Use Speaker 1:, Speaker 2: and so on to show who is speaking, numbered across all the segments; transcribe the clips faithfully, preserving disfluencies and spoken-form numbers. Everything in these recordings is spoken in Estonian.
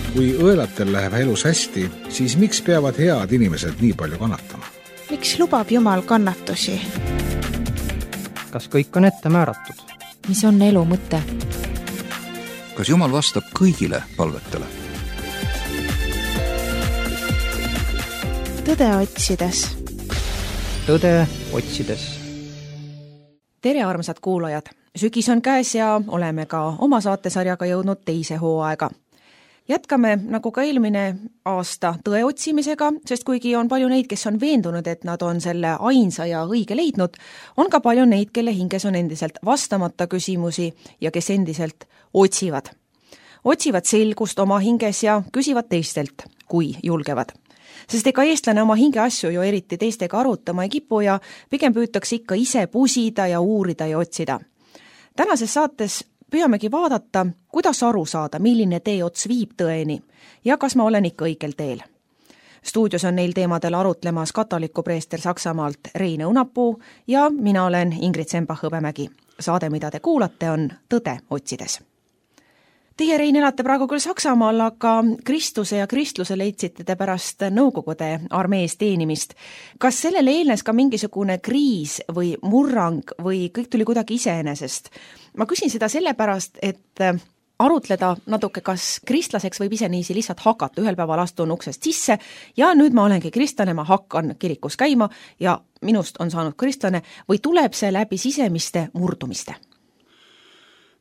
Speaker 1: Kui õelatel läheb elus hästi, siis miks peavad head inimesed nii palju kannatama?
Speaker 2: Miks lubab Jumal kannatusi?
Speaker 3: Kas kõik on ette määratud?
Speaker 2: Mis on elu mõte?
Speaker 4: Kas Jumal vastab kõigile palvetele?
Speaker 2: Tõde otsides.
Speaker 3: Tõde otsides.
Speaker 5: Tere armsad kuulajad! Sügis on käes ja oleme ka oma saatesarjaga jõudnud teise hooaega. Jätkame nagu ka eelmine aasta tõe otsimisega, sest kuigi on palju neid, kes on veendunud, et nad on selle ainsa ja õige leidnud, on ka palju neid, kelle hinges on endiselt vastamata küsimusi ja kes endiselt otsivad. Otsivad selgust oma hinges ja küsivad teistelt, kui julgevad. Sest ega eestlane oma hinge asju ju eriti teistega arutama ei kipu ja pigem püütakse ikka ise pusida ja uurida ja otsida. Tänases saates püüamegi vaadata, kuidas aru saada, milline tee ots viib tõeni ja kas ma olen ikka õigel teel. Stuudios on neil teemadel arutlemas katoliku preester Saksamaalt Rein Õunapuu ja mina olen Ingrid Sembach-Hõbemägi. Saade, mida te kuulate, on Tõde otsides. Teie, Rein, elate praegu küll Saksamaal, aga Kristuse ja kristluse leidsite te pärast Nõukogude armees teenimist. Kas sellele eelnes ka mingisugune kriis või murrang või kõik tuli kuidagi iseenesest? Ma küsin seda sellepärast, et arutleda natuke, kas kristlaseks võib ise niisi lihtsalt hakata. Ühel päeval astun uksest sisse ja nüüd ma olengi kristlane, ma hakkan kirikus käima ja minust on saanud kristlane või tuleb see läbi sisemiste murdumiste?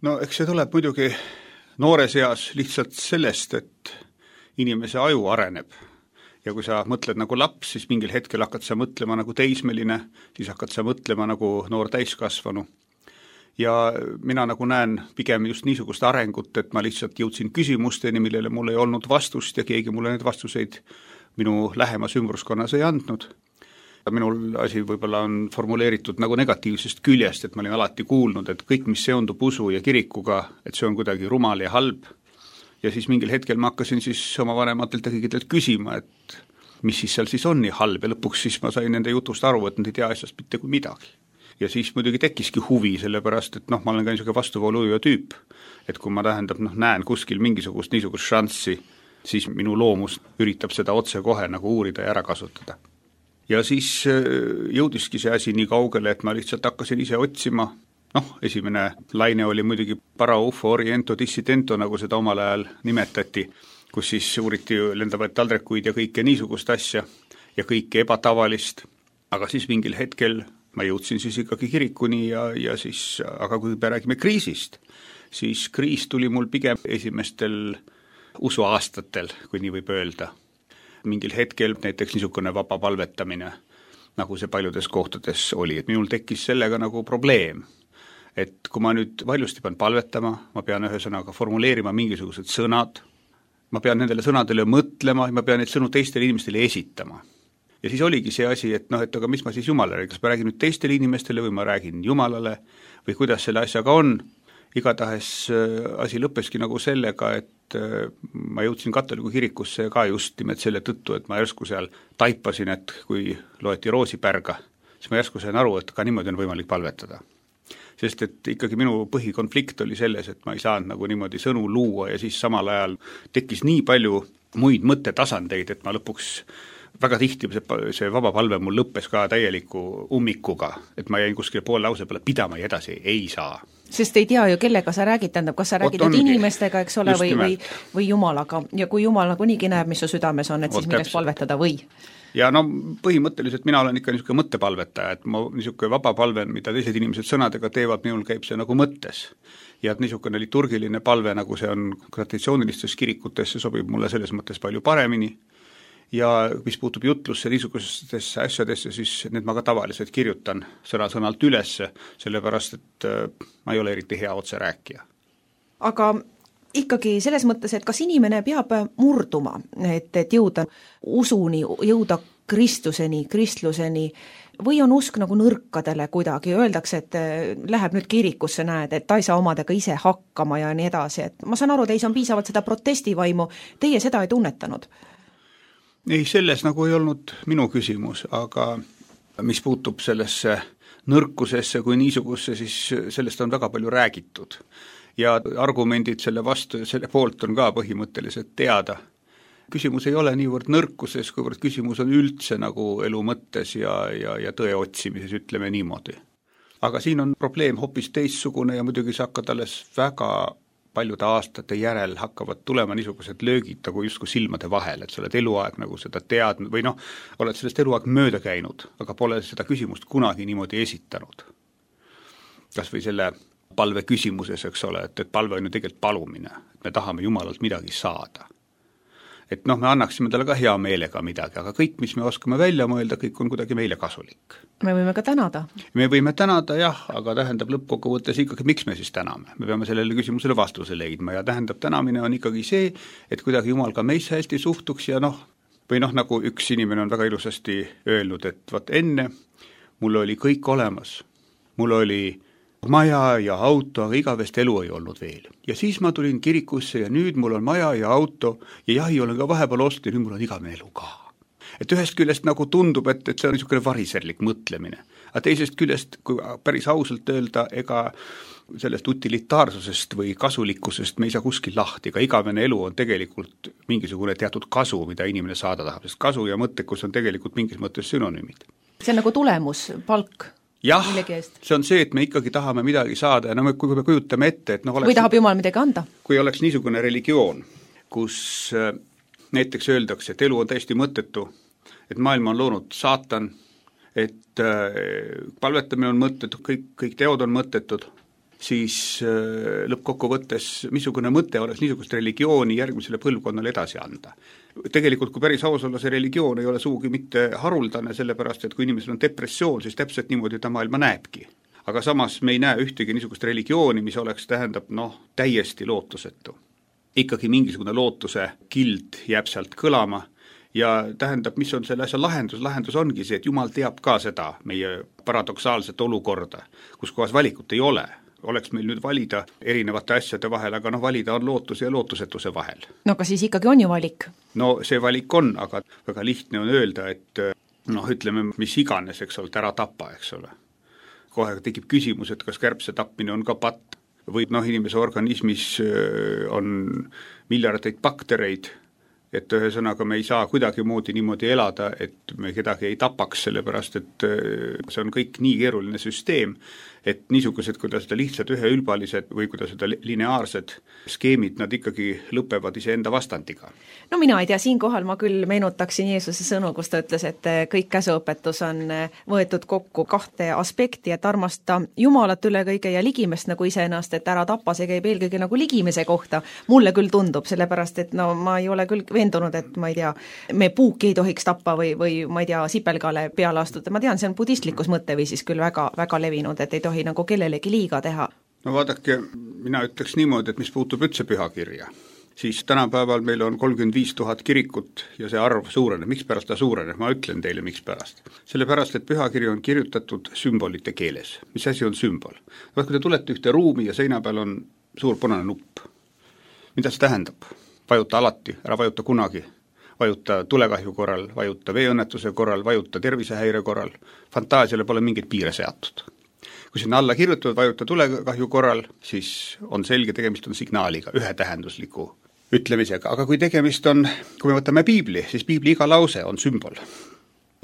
Speaker 6: No eks see tuleb muidugi noores eas lihtsalt sellest, et inimese aju areneb. Ja kui sa mõtled nagu laps, siis mingil hetkel hakkad sa mõtlema nagu teismeline, siis hakkad sa mõtlema nagu noor täiskasvanu. Ja mina nagu näen pigem just niisugust arengut, et ma lihtsalt jõudsin küsimusteni, millele mul ei olnud vastust ja keegi mulle need vastuseid minu lähemas ümbruskonnas ei andnud. Minul asi võib-olla on formuleeritud nagu negatiivsest küljest, et ma olin alati kuulnud, et kõik, mis seondub usu ja kirikuga, et see on kuidagi rumal ja halb. Ja siis mingil hetkel ma hakkasin siis oma vanematelt ja kõigitelt küsima, et mis siis seal siis on nii halb ja lõpuks siis ma sain nende jutust aru, et nad ei tea asjast mitte kui midagi. Ja siis muidugi tekkiski huvi, sellepärast, et noh, ma olen ka niisugune vastuvooluja tüüp, et kui ma tähendab, noh, näen kuskil mingisugust niisugust šanssi, siis minu loomus üritab seda otse kohe nagu uurida ja ära kasutada. Ja siis jõudiski see asi nii kaugele, et ma lihtsalt hakkasin ise otsima. Noh, esimene laine oli muidugi paraufo oriento dissidento, nagu seda omal ajal nimetati, kus siis uuriti lendavaid taldrekuid ja kõike niisugust asja ja kõike ebatavalist. Aga siis mingil hetkel ma jõudsin siis ikkagi kirikuni ja, ja siis, aga kui me räägime kriisist, siis kriis tuli mul pigem esimestel usuaastatel, kui nii võib öelda. Mingil hetkel näiteks niisugune vaba palvetamine, nagu see paljudes kohtades oli, et minul tekkis sellega nagu probleem, et kui ma nüüd valjusti pean palvetama, ma pean ühesõnaga formuleerima mingisugused sõnad, ma pean nendele sõnadele mõtlema ja ma pean neid sõnu teistele inimestele esitama. Ja siis oligi see asi, et noh, et aga mis ma siis Jumalale, kas ma räägin nüüd teistele inimestele või ma räägin Jumalale või kuidas selle asjaga on. Igatahes asi lõppeski nagu sellega, et ma jõudsin katoliku kirikusse ka just nimelt selle tõttu, et ma järsku seal taipasin, et kui loeti roosipärga, siis ma järsku sain aru, et ka niimoodi on võimalik palvetada. Sest et ikkagi minu põhikonflikt oli selles, et ma ei saanud nagu niimoodi sõnu luua ja siis samal ajal tekkis nii palju muid mõttetasandeid, et ma lõpuks väga tihti see, see vaba palve mul lõppes ka täieliku ummikuga, et ma jäin kuskile pool lause peale pidama ja edasi ei saa.
Speaker 5: Sest ei tea ju, kellega sa räägid, tähendab, kas sa räägid inimestega, eks ole, või, või, või Jumalaga. Ja kui Jumal nagu niigi näeb, mis su südames on, et siis milleks palvetada või?
Speaker 6: Ja no põhimõtteliselt mina olen ikka niisugune mõttepalvetaja, et ma niisugune vaba palve, mida teised inimesed sõnadega teevad, minul käib see nagu mõttes. Ja et niisugune liturgiline palve, nagu see on traditsioonilistes kirikutes, see sobib mulle selles mõttes palju paremini. Ja mis puutub jutlusse niisugustesse asjadesse, siis need ma ka tavaliselt kirjutan sõna-sõnalt ülesse, sellepärast, et ma ei ole eriti hea otse rääkija.
Speaker 5: Aga ikkagi selles mõttes, et kas inimene peab murduma, et, et jõuda usuni, jõuda Kristuseni, kristluseni, või on usk nagu nõrkadele kuidagi, öeldakse, et läheb nüüd kirikusse, näed, et ta ei saa omadega ise hakkama ja nii edasi, et ma saan aru, teis on piisavalt seda protestivaimu, teie seda ei tunnetanud?
Speaker 6: Ei, selles nagu ei olnud minu küsimus, aga mis puutub sellesse nõrkusesse kui niisugusse, siis sellest on väga palju räägitud. ja argumendid selle vastu ja selle poolt on ka põhimõtteliselt teada. Küsimus ei ole niivõrd nõrkuses, kuivõrd küsimus on üldse nagu elu mõttes ja, ja, ja tõe otsimises, ütleme niimoodi. Aga siin on probleem hoopis teissugune ja muidugi sa hakkad alles väga paljude aastate järel hakkavad tulema niisugused löögid nagu justkui silmade vahel, et sa oled eluaeg nagu seda teadnud või noh, oled sellest eluaeg mööda käinud, aga pole seda küsimust kunagi niimoodi esitanud. Kas või selle palve küsimuses, eks ole, et, et palve on ju tegelikult palumine, et me tahame Jumalalt midagi saada. Et noh, me annaksime talle ka hea meelega midagi, aga kõik, mis me oskame välja mõelda, kõik on kuidagi meile kasulik.
Speaker 5: Me võime ka tänada.
Speaker 6: Me võime tänada, jah, aga tähendab lõppkokkuvõttes ikkagi, miks me siis täname. Me peame sellele küsimusele vastuse leidma ja tähendab, tänamine on ikkagi see, et kuidagi Jumal ka meisse hästi suhtuks ja noh, või noh, nagu üks inimene on väga ilusasti öelnud, et vaat enne mul oli kõik olemas, mul oli maja ja auto, aga igavest elu ei olnud veel. Ja siis ma tulin kirikusse ja nüüd mul on maja ja auto ja jahi olen ka vahepeal ostnud ja nüüd mul on igavene elu ka. Et ühest küljest nagu tundub, et, et see on niisugune variserlik mõtlemine. Aga teisest küljest, kui päris ausalt öelda, ega sellest utilitaarsusest või kasulikkusest me ei saa kuskil lahti, ega igavene elu on tegelikult mingisugune teatud kasu, mida inimene saada tahab, sest kasu ja mõttekus on tegelikult mingis mõttes synonüümid.
Speaker 5: See on nagu tulemus, palk.
Speaker 6: Jah, see on see, et me ikkagi tahame midagi saada ja no me, kui me kujutame ette, et noh oleks,
Speaker 5: või tahab Jumal midagi anda.
Speaker 6: Kui oleks niisugune religioon, kus näiteks öeldakse, et elu on täiesti mõttetu, et maailma on loonud saatan, et palvetamine on mõttetu, kõik, kõik teod on mõttetud, siis lõppkokkuvõttes missugune mõte oleks niisugust religiooni järgmisele põlvkonnale edasi anda. Tegelikult, kui päris aus olla, see religioon ei ole suugi mitte haruldane, sellepärast, et kui inimesel on depressioon, siis täpselt niimoodi ta maailma näebki. Aga samas me ei näe ühtegi niisugust religiooni, mis oleks, tähendab, noh, täiesti lootusetu. Ikkagi mingisugune lootuse kild jääb sealt kõlama ja tähendab, mis on selle asja lahendus, lahendus ongi see, et Jumal teab ka seda meie paradoksaalset olukorda, kus kohas valikut ei ole. Oleks meil nüüd valida erinevate asjade vahel, aga noh, valida on lootuse ja lootusetuse vahel.
Speaker 5: No aga siis ikkagi on ju valik.
Speaker 6: No see valik on, aga väga lihtne on öelda, et noh, ütleme, mis iganes, eks ole, ära tapa, eks ole. Kohe tekib küsimus, et kas kärbse tapmine on ka patt või noh, inimese organismis on miljardeid baktereid, et ühesõnaga me ei saa kuidagi moodi niimoodi elada, et me kedagi ei tapaks, sellepärast et see on kõik nii keeruline süsteem, et niisugused, kuidas seda lihtsalt üheülbalised või kuidas seda lineaarsed skeemid, nad ikkagi lõpevad iseenda vastandiga.
Speaker 5: No mina ei tea, siinkohal ma küll meenutaksin Jeesuse sõnu, kus ta ütles, et kõik käsuõpetus on võetud kokku kahte aspekti, et armasta Jumalat üle kõige ja ligimest nagu iseennast, et ära tapa, see käib eelkõige nagu ligimese kohta. Mulle küll tundub, sellepärast et no ma ei ole küll veendunud, et ma ei tea, me puuki ei tohiks tappa või, või ma ei tea, sipelgale peale astuda. Ma tean, see on budistlikus mõtteviisis küll väga, väga levinud, et ei tohi nagu kellelegi liiga teha.
Speaker 6: No vaadake, mina ütleks niimoodi, et mis puutub üldse pühakirja, siis tänapäeval meil on kolmkümmend viis tuhat kirikut ja see arv suureneb. Miks pärast ta suureneb? Ma ütlen teile, miks pärast. Sellepärast, et pühakiri on kirjutatud sümbolite keeles. Mis asi on sümbol? Vaat, kui te tulete ühte ruumi ja seina peal on suur punane nupp. Mida see tähendab? Vajuta alati, ära vajuta kunagi. Vajuta tulekahju korral, vajuta veeõnnetuse korral, vajuta tervisehäire korral. Fantaasiale pole mingit piire seatud. Kui sinna alla kirjutavad, vajuta tulekahju korral, siis on selge, tegemist on signaaliga, ühetähendusliku ütlemisega. Aga kui tegemist on, kui me võtame piibli, siis piibli iga lause on sümbol.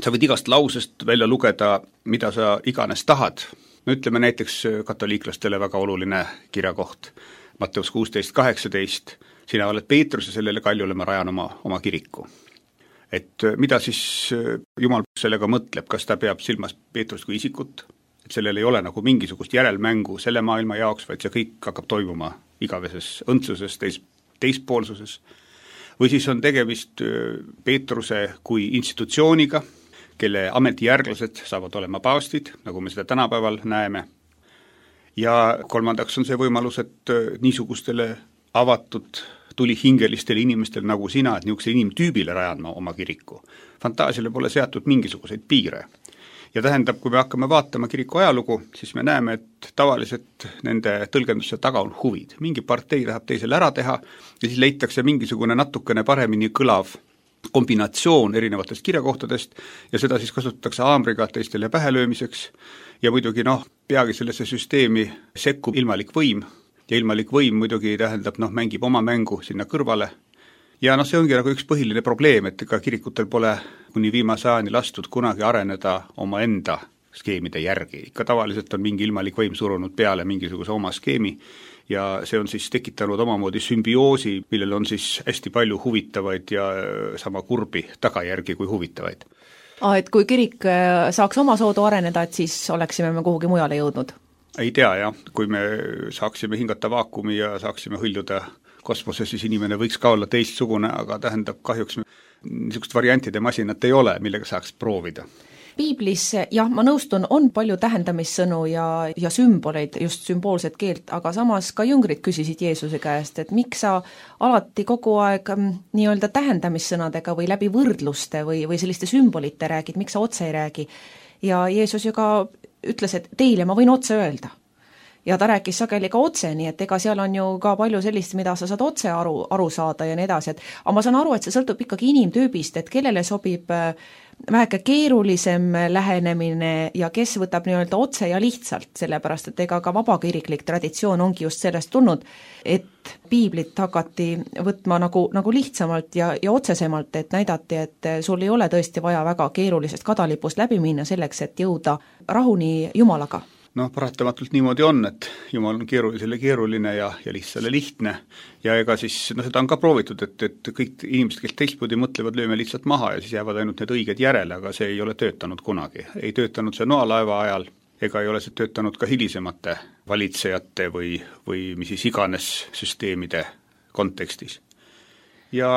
Speaker 6: Sa võid igast lausest välja lugeda, mida sa iganes tahad. No ütleme näiteks katoliiklastele väga oluline kirjakoht. Matteus kuusteist kaheksateist, sina oled Peetrus ja sellele kaljule ma rajan oma, oma kiriku. Et mida siis Jumal sellega mõtleb, kas ta peab silmas Peetrust kui isikut? Et sellel ei ole nagu mingisugust järelmängu selle maailma jaoks, vaid see kõik hakkab toimuma igaveses õndsuses, teis, teispoolsuses. Või siis on tegemist Peetruse kui institutsiooniga, kelle ametijärglased saavad olema paavstid, nagu me seda tänapäeval näeme. Ja kolmandaks on see võimalus, et niisugustele avatud tulihingelistele inimestele nagu sina, et niisuguse inimtüübile rajan ma oma kiriku. Fantaasiale pole seatud mingisuguseid piire. Ja tähendab, kui me hakkame vaatama kiriku ajalugu, siis me näeme, et tavaliselt nende tõlgendusse taga on huvid. Mingi partei tahab teisele ära teha ja siis leitakse mingisugune natukene paremini kõlav kombinatsioon erinevatest kirjakohtadest ja seda siis kasutatakse haamriga teistele pähelöömiseks ja muidugi noh, peagi sellesse süsteemi sekkub ilmalik võim ja ilmalik võim muidugi tähendab, noh, mängib oma mängu sinna kõrvale. Ja noh, see ongi nagu üks põhiline probleem, et ega kirikutel pole kuni viimase ajani lastud kunagi areneda oma enda skeemide järgi. Ikka tavaliselt on mingi ilmalik võim surunud peale mingisuguse oma skeemi ja see on siis tekitanud omamoodi sümbioosi, millel on siis hästi palju huvitavaid ja sama kurbi tagajärgi kui huvitavaid.
Speaker 5: Ah, et kui kirik saaks oma soodu areneda, et siis oleksime me kuhugi mujale jõudnud?
Speaker 6: Ei tea, jah. Kui me saaksime hingata vaakumi ja saaksime hõljuda kosmoses, siis inimene võiks ka olla teistsugune, aga tähendab kahjuks niisugust variantide masinat ei ole, millega saaks proovida.
Speaker 5: Piiblis, jah, ma nõustun, on palju tähendamissõnu ja, ja sümboleid, just sümboolset keelt, aga samas ka jüngrid küsisid Jeesuse käest, et miks sa alati kogu aeg nii-öelda tähendamissõnadega või läbi võrdluste või, või selliste sümbolite räägid, miks sa otse ei räägi. Ja Jeesus ju ka ütles, et teile ma võin otse öelda. Ja ta rääkis sageli ka otse, nii et ega seal on ju ka palju sellist, mida sa saad otse aru, aru saada ja nii edasi, et aga ma saan aru, et see sõltub ikkagi inimtüübist, et kellele sobib väheke keerulisem lähenemine ja kes võtab nii-öelda otse ja lihtsalt, sellepärast et ega ka vabakiriklik traditsioon ongi just sellest tulnud, et piiblit hakati võtma nagu, nagu lihtsamalt ja, ja otsesemalt, et näidati, et sul ei ole tõesti vaja väga keerulisest kadalipust läbi minna selleks, et jõuda rahuni Jumalaga.
Speaker 6: Noh, paratamatult niimoodi on, et Jumal on keerulisele keeruline ja, ja lihtsale lihtne ja ega siis, no seda on ka proovitud, et, et kõik inimesed, kes teistmoodi mõtlevad, lööme lihtsalt maha ja siis jäävad ainult need õiged järele, aga see ei ole töötanud kunagi. Ei töötanud see noalaeva ajal, ega ei ole see töötanud ka hilisemate valitsejate või, või mis siis iganes süsteemide kontekstis. Ja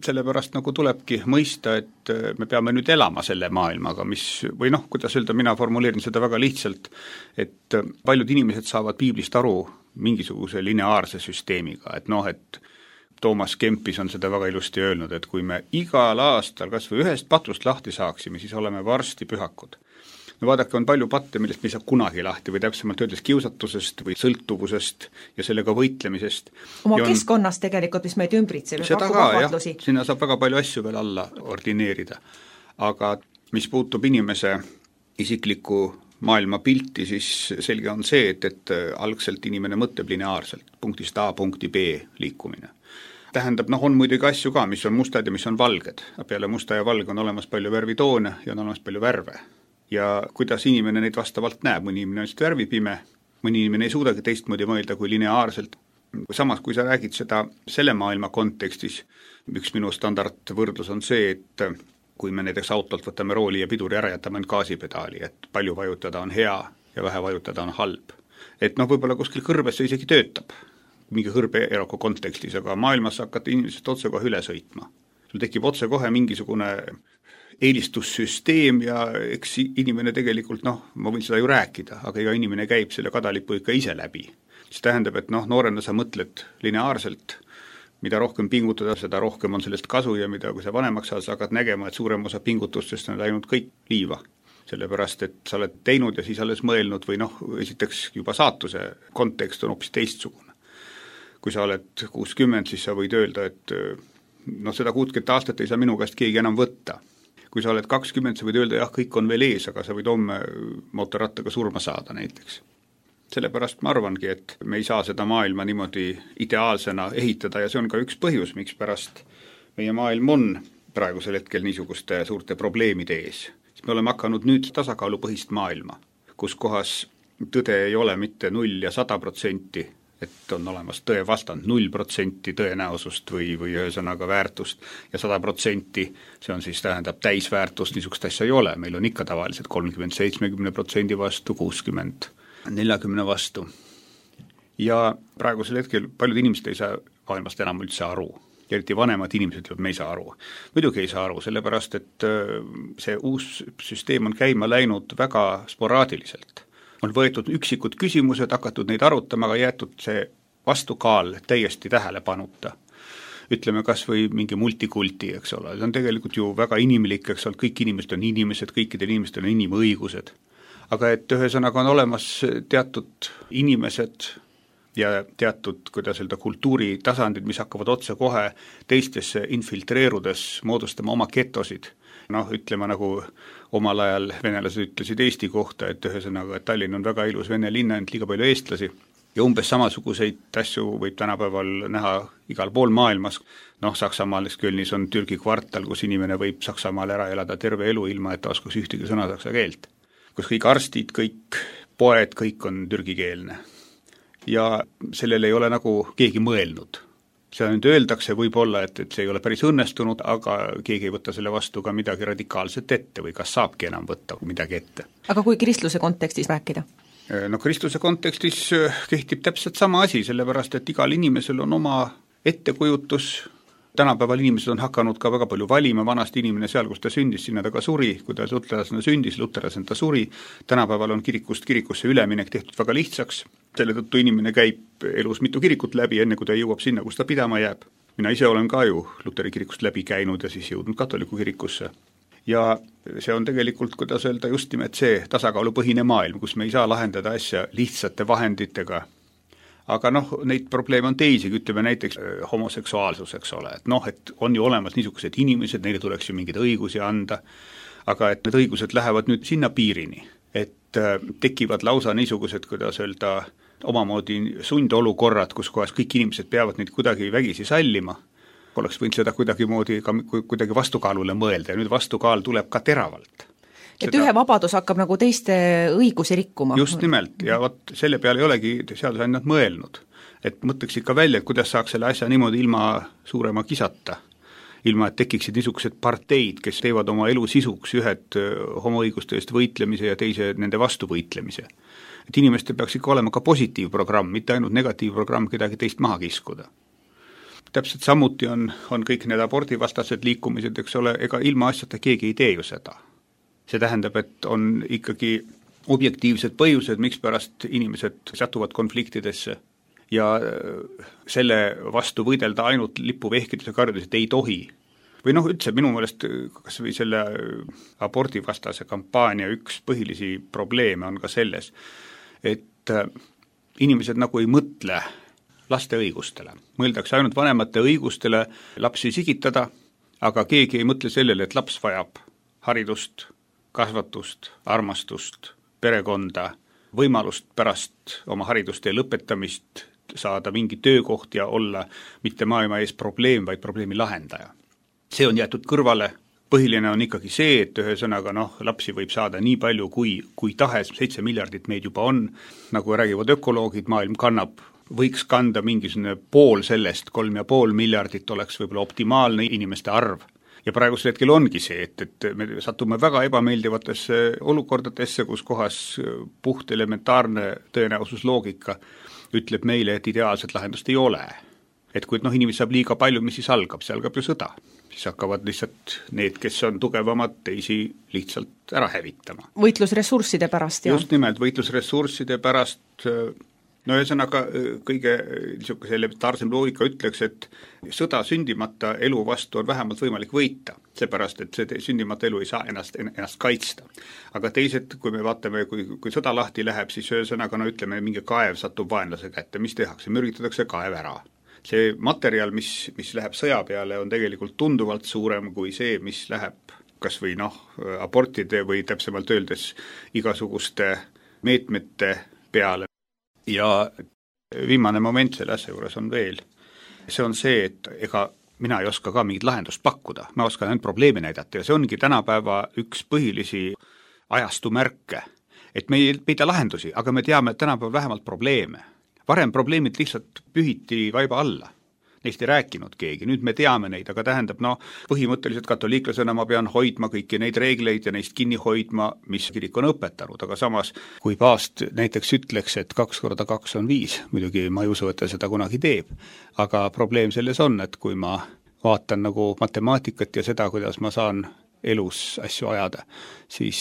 Speaker 6: sellepärast nagu tulebki mõista, et me peame nüüd elama selle maailmaga, mis, või noh, kuidas öelda, mina formuleerin seda väga lihtsalt, et paljud inimesed saavad piiblist aru mingisuguse lineaarse süsteemiga, et noh, et Toomas Kempis on seda väga ilusti öelnud, et kui me igal aastal kas või ühest patust lahti saaksime, siis oleme varsti pühakud. No vaadake, on palju patte, millest me ei saa kunagi lahti või täpsemalt öeldes kiusatusest või sõltuvusest ja sellega võitlemisest.
Speaker 5: Oma
Speaker 6: on,
Speaker 5: keskkonnas tegelikult, mis meid ümbritseb.
Speaker 6: Seda ka, jah, sinna saab väga palju asju veel alla ordineerida. Aga mis puutub inimese isikliku maailma pilti, siis selge on see, et, et algselt inimene mõtleb lineaarselt, punktist A punkti B liikumine. Tähendab, noh, on muidugi asju ka, mis on mustad ja mis on valged. Peale musta ja valge on olemas palju värvitoone ja on olemas palju värve. Ja kuidas inimene neid vastavalt näeb, mõni inimene on lihtsalt värvipime, mõni inimene ei suudagi teistmoodi mõelda kui lineaarselt. Samas, kui sa räägid seda selle maailma kontekstis, üks minu standardvõrdlus on see, et kui me näiteks autolt võtame rooli ja piduri ära jätame gaasipedaali, et palju vajutada on hea ja vähe vajutada on halb. Et noh, võib-olla kuskil kõrbes see isegi töötab, mingi kõrbeeroku kontekstis, aga maailmas hakkate inimesest otsekohe üle sõitma. Sul tekib otsekohe mingisugune eelistussüsteem ja eks inimene tegelikult, noh, ma võin seda ju rääkida, aga iga inimene käib selle kadalipu ikka ise läbi. See tähendab, et noh, noorena sa mõtled lineaarselt, mida rohkem pingutada, seda rohkem on sellest kasu ja mida, kui sa vanemaks saad, sa hakkad nägema, et suurem osa pingutustest on läinud kõik liiva. Sellepärast, et sa oled teinud ja siis alles mõelnud või noh, esiteks juba saatuse kontekst on hoopis teistsugune. Kui sa oled kuuskümmend, siis sa võid öelda, et noh, seda kuuskümmend aastat ei saa minu käest keegi enam võtta. Kui sa oled kakskümmend, sa võid öelda, jah, kõik on veel ees, aga sa võid homme mootorrattaga surma saada näiteks. Sellepärast ma arvangi, et me ei saa seda maailma niimoodi ideaalsena ehitada ja see on ka üks põhjus, miks pärast meie maailm on praegusel hetkel niisuguste suurte probleemide ees. Me oleme hakanud nüüd tasakaalupõhist maailma, kus kohas tõde ei ole mitte null ja sada protsenti, et on olemas tõe vastand null protsenti tõenäosust või, või ühesõnaga väärtust ja sada protsenti, see on siis tähendab täisväärtust, niisugust asja ei ole, meil on ikka tavaliselt kolmkümmend seitsekümmend protsendi vastu, kuuskümmend neljakümne vastu. Ja praegusel hetkel paljud inimesed ei saa maailmast enam üldse aru. Ja eriti vanemad inimesed ütlevad, me ei saa aru. Muidugi ei saa aru, sellepärast, et see uus süsteem on käima läinud väga sporaadiliselt. On võetud üksikud küsimused, hakatud neid arutama, aga jäetud see vastukaal täiesti tähelepanuta. Ütleme kas või mingi multikulti, eks ole, see on tegelikult ju väga inimlik, eks ole, kõik inimesed on inimesed, kõikidel inimestel on inimõigused. Aga et ühesõnaga on olemas teatud inimesed ja teatud, kuidas öelda, kultuuritasandid, mis hakkavad otse kohe teistesse infiltreerudes moodustama oma getosid. Noh, ütlema nagu omal ajal venelased ütlesid Eesti kohta, et ühesõnaga, et Tallinn on väga ilus vene linna, ent liiga palju eestlasi. ja umbes samasuguseid asju võib tänapäeval näha igal pool maailmas. Noh, Saksamaal Kölnis on Türgi kvartal, kus inimene võib Saksamaal ära elada terve elu ilma, et ta oskaks ühtegi sõna saksa keelt. Kus kõik arstid, kõik poed, kõik on türgikeelne. Ja sellele ei ole nagu keegi mõelnud. See nüüd öeldakse võib-olla, et, et see ei ole päris õnnestunud, aga keegi ei võtta selle vastu ka midagi radikaalset ette või kas saabki enam võtta midagi ette.
Speaker 5: Aga kui kristluse kontekstis rääkida?
Speaker 6: No kristluse kontekstis kehtib täpselt sama asi, sellepärast et igal inimesel on oma ettekujutus. Tänapäeval inimesed on hakanud ka väga palju valima, vanasti inimene seal, kus ta sündis, sinna ta ka suri, kui ta luterlasena sündis, luterlasena ta suri. Tänapäeval on kirikust kirikusse üleminek tehtud väga lihtsaks, selle tõttu inimene käib elus mitu kirikut läbi, enne kui ta jõuab sinna, kus ta pidama jääb. Mina ise olen ka ju luteri kirikust läbi käinud ja siis jõudnud katoliku kirikusse. Ja see on tegelikult, kuidas öelda, just nimelt see tasakaalupõhine maailm, kus me ei saa lahendada asja lihtsate vahenditega. Aga noh, neid probleeme on teisi, ütleme näiteks homoseksuaalsus, eks ole, et noh, et on ju olemas niisugused inimesed, neile tuleks ju mingeid õigusi anda, aga et need õigused lähevad nüüd sinna piirini, et tekivad lausa niisugused, kuidas öelda, omamoodi sundolukorrad, kus kohas kõik inimesed peavad neid kuidagi vägisi sallima, oleks võinud seda kuidagi moodi ka kuidagi vastukaalule mõelda ja nüüd vastukaal tuleb ka teravalt.
Speaker 5: Et seda... ühe vabadus hakkab nagu teiste õigusi rikkuma.
Speaker 6: Just nimelt, ja vot selle peale ei olegi seadusandjad mõelnud, et mõtleks ikka välja, et kuidas saaks selle asja niimoodi ilma suurema kisata, ilma et tekiksid niisugused parteid, kes teevad oma elu sisuks ühed homoõiguste eest võitlemise ja teise nende vastu võitlemise. Et inimestel peaks ikka olema ka positiivprogramm, mitte ainult negatiivprogramm kedagi teist maha kiskuda. Täpselt samuti on, on kõik need abordivastased liikumised, eks ole, ega ilma asjata keegi ei tee ju seda. See tähendab, et on ikkagi objektiivsed põhjused, miks pärast inimesed satuvad konfliktidesse ja selle vastu võidelda ainult lipuvehkiduse karjudes, et ei tohi. Või noh, üldse minu meelest kas või selle abordivastase kampaania üks põhilisi probleeme on ka selles, et inimesed nagu ei mõtle laste õigustele. Mõeldakse ainult vanemate õigustele lapsi sigitada, aga keegi ei mõtle sellele, et laps vajab haridust, kasvatust, armastust, perekonda, võimalust pärast oma haridustee lõpetamist saada mingi töökoht ja olla mitte maailma ees probleem, vaid probleemi lahendaja. See on jäetud kõrvale. Põhiline on ikkagi see, et ühesõnaga noh, lapsi võib saada nii palju, kui, kui tahes, seitse miljardit meid juba on, nagu räägivad ökoloogid, maailm kannab, võiks kanda mingisugune pool sellest, kolm ja pool miljardit oleks võib-olla optimaalne inimeste arv. Ja praegusel hetkel ongi see, et, et me satume väga ebameeldivatesse olukordadesse, kus kohas puht elementaarne tõenäosusloogika ütleb meile, et ideaalset lahendust ei ole. Et kui noh, inimesed saab liiga palju, mis siis algab, see algab ju sõda. Siis hakkavad lihtsalt need, kes on tugevamad, teisi lihtsalt ära hävitama.
Speaker 5: Võitlusressursside pärast, jah?
Speaker 6: Just nimelt, võitlusressursside pärast. No ühesõnaga kõige niisuguse elementaarsem loogika ütleks, et sõda sündimata elu vastu on vähemalt võimalik võita, seepärast, et see sündimata elu ei saa ennast, ennast kaitsta. Aga teised, kui me vaatame, kui, kui sõda lahti läheb, siis ühesõnaga, no ütleme, mingi kaev satub vaenlase kätte, mis tehakse, mürgitatakse kaev ära. See materjal, mis, mis läheb sõja peale, on tegelikult tunduvalt suurem kui see, mis läheb kas või noh, abortide või täpsemalt öeldes igasuguste meetmete peale. Ja viimane moment selle asja juures on veel. See on see, et ega mina ei oska ka mingit lahendust pakkuda. Ma oskan ainult probleemi näidata ja see ongi tänapäeva üks põhilisi ajastu märke. Et me ei peida lahendusi, aga me teame, et tänapäeva vähemalt probleeme. Varem probleemid lihtsalt pühiti vaiba alla. Neist ei rääkinud keegi, nüüd me teame neid, aga tähendab, no põhimõtteliselt katoliiklasena ma pean hoidma kõiki neid reegleid ja neist kinni hoidma, mis kirik on õpetanud, aga samas kui paavst näiteks ütleks, et kaks korda kaks on viis, muidugi ma ei usu, et ta seda kunagi teeb, aga probleem selles on, et kui ma vaatan nagu matemaatikat ja seda, kuidas ma saan elus asju ajada, siis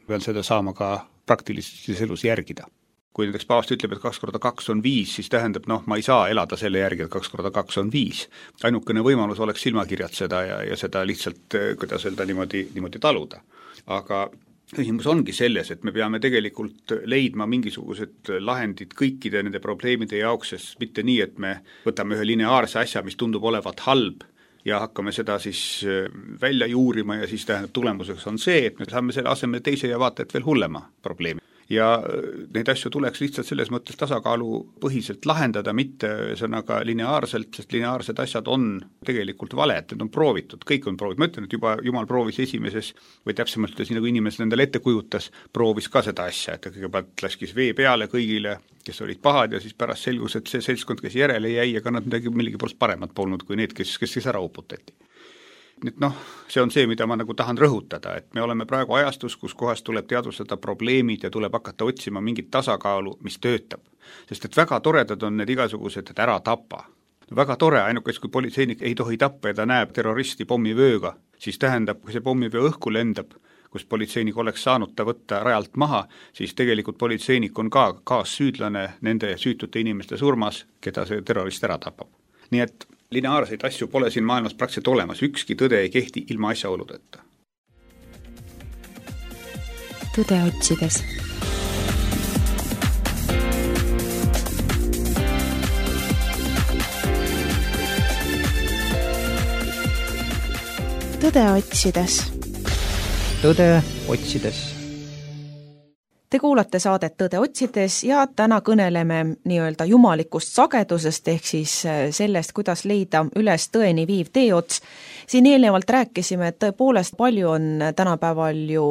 Speaker 6: pean seda saama ka praktilises elus järgida. Kui näiteks paavst ütleb, et kaks korda kaks on viis, siis tähendab, noh, ma ei saa elada selle järgi, et kaks korda kaks on viis. Ainukene võimalus oleks silmakirjatseda ja, ja seda lihtsalt, kuidas öelda, niimoodi, niimoodi taluda. Aga küsimus ongi selles, et me peame tegelikult leidma mingisugused lahendid kõikide nende probleemide jaoks, sest mitte nii, et me võtame ühe lineaarse asja, mis tundub olevat halb, ja hakkame seda siis välja juurima ja siis tähendab tulemuseks on see, et me saame selle asemel teise ja vaata, et veel hullema probleemi. ja neid asju tuleks lihtsalt selles mõttes tasakaalupõhiselt lahendada, mitte sõnaga lineaarselt, sest lineaarsed asjad on tegelikult valed, need on proovitud, kõik on proovitud, ma ütlen, et juba Jumal proovis esimeses, või täpsemalt ütles, nagu inimesed endale ette kujutas, proovis ka seda asja, et kõigepealt laskis vee peale kõigile, kes olid pahad ja siis pärast selgus, et see seltskond, kes järele jäi, aga nad midagi millegipärast paremat polnud kui need, kes, kes siis ära uputati. Nüüd noh, see on see, mida ma nagu tahan rõhutada, et me oleme praegu ajastus, kus kohas tuleb teadvustada probleemid ja tuleb hakata otsima mingit tasakaalu, mis töötab. Sest et väga toredad on need igasugused, et ära tapa. Väga tore, ainukes kui politseinik ei tohi tappa ja ta näeb terroristi pommivööga, siis tähendab, kui see pommivöö õhku lendab, kus politseinik oleks saanud ta võtta rajalt maha, siis tegelikult politseinik on ka kaassüüdlane nende süütute inimeste surmas, keda see terrorist ära tapab. Nii et lineaarseid asju pole siin maailmas praktiliselt olemas, ükski tõde ei kehti ilma asjaoludeta.
Speaker 2: Tõde otsides. Tõde otsides.
Speaker 3: Tõde otsides.
Speaker 5: Te kuulate saadet Tõde otsides ja täna kõneleme nii-öelda jumalikust sagedusest ehk siis sellest, kuidas leida üles tõeni viiv teeots. Siin eelnevalt rääkisime, et tõepoolest palju on tänapäeval ju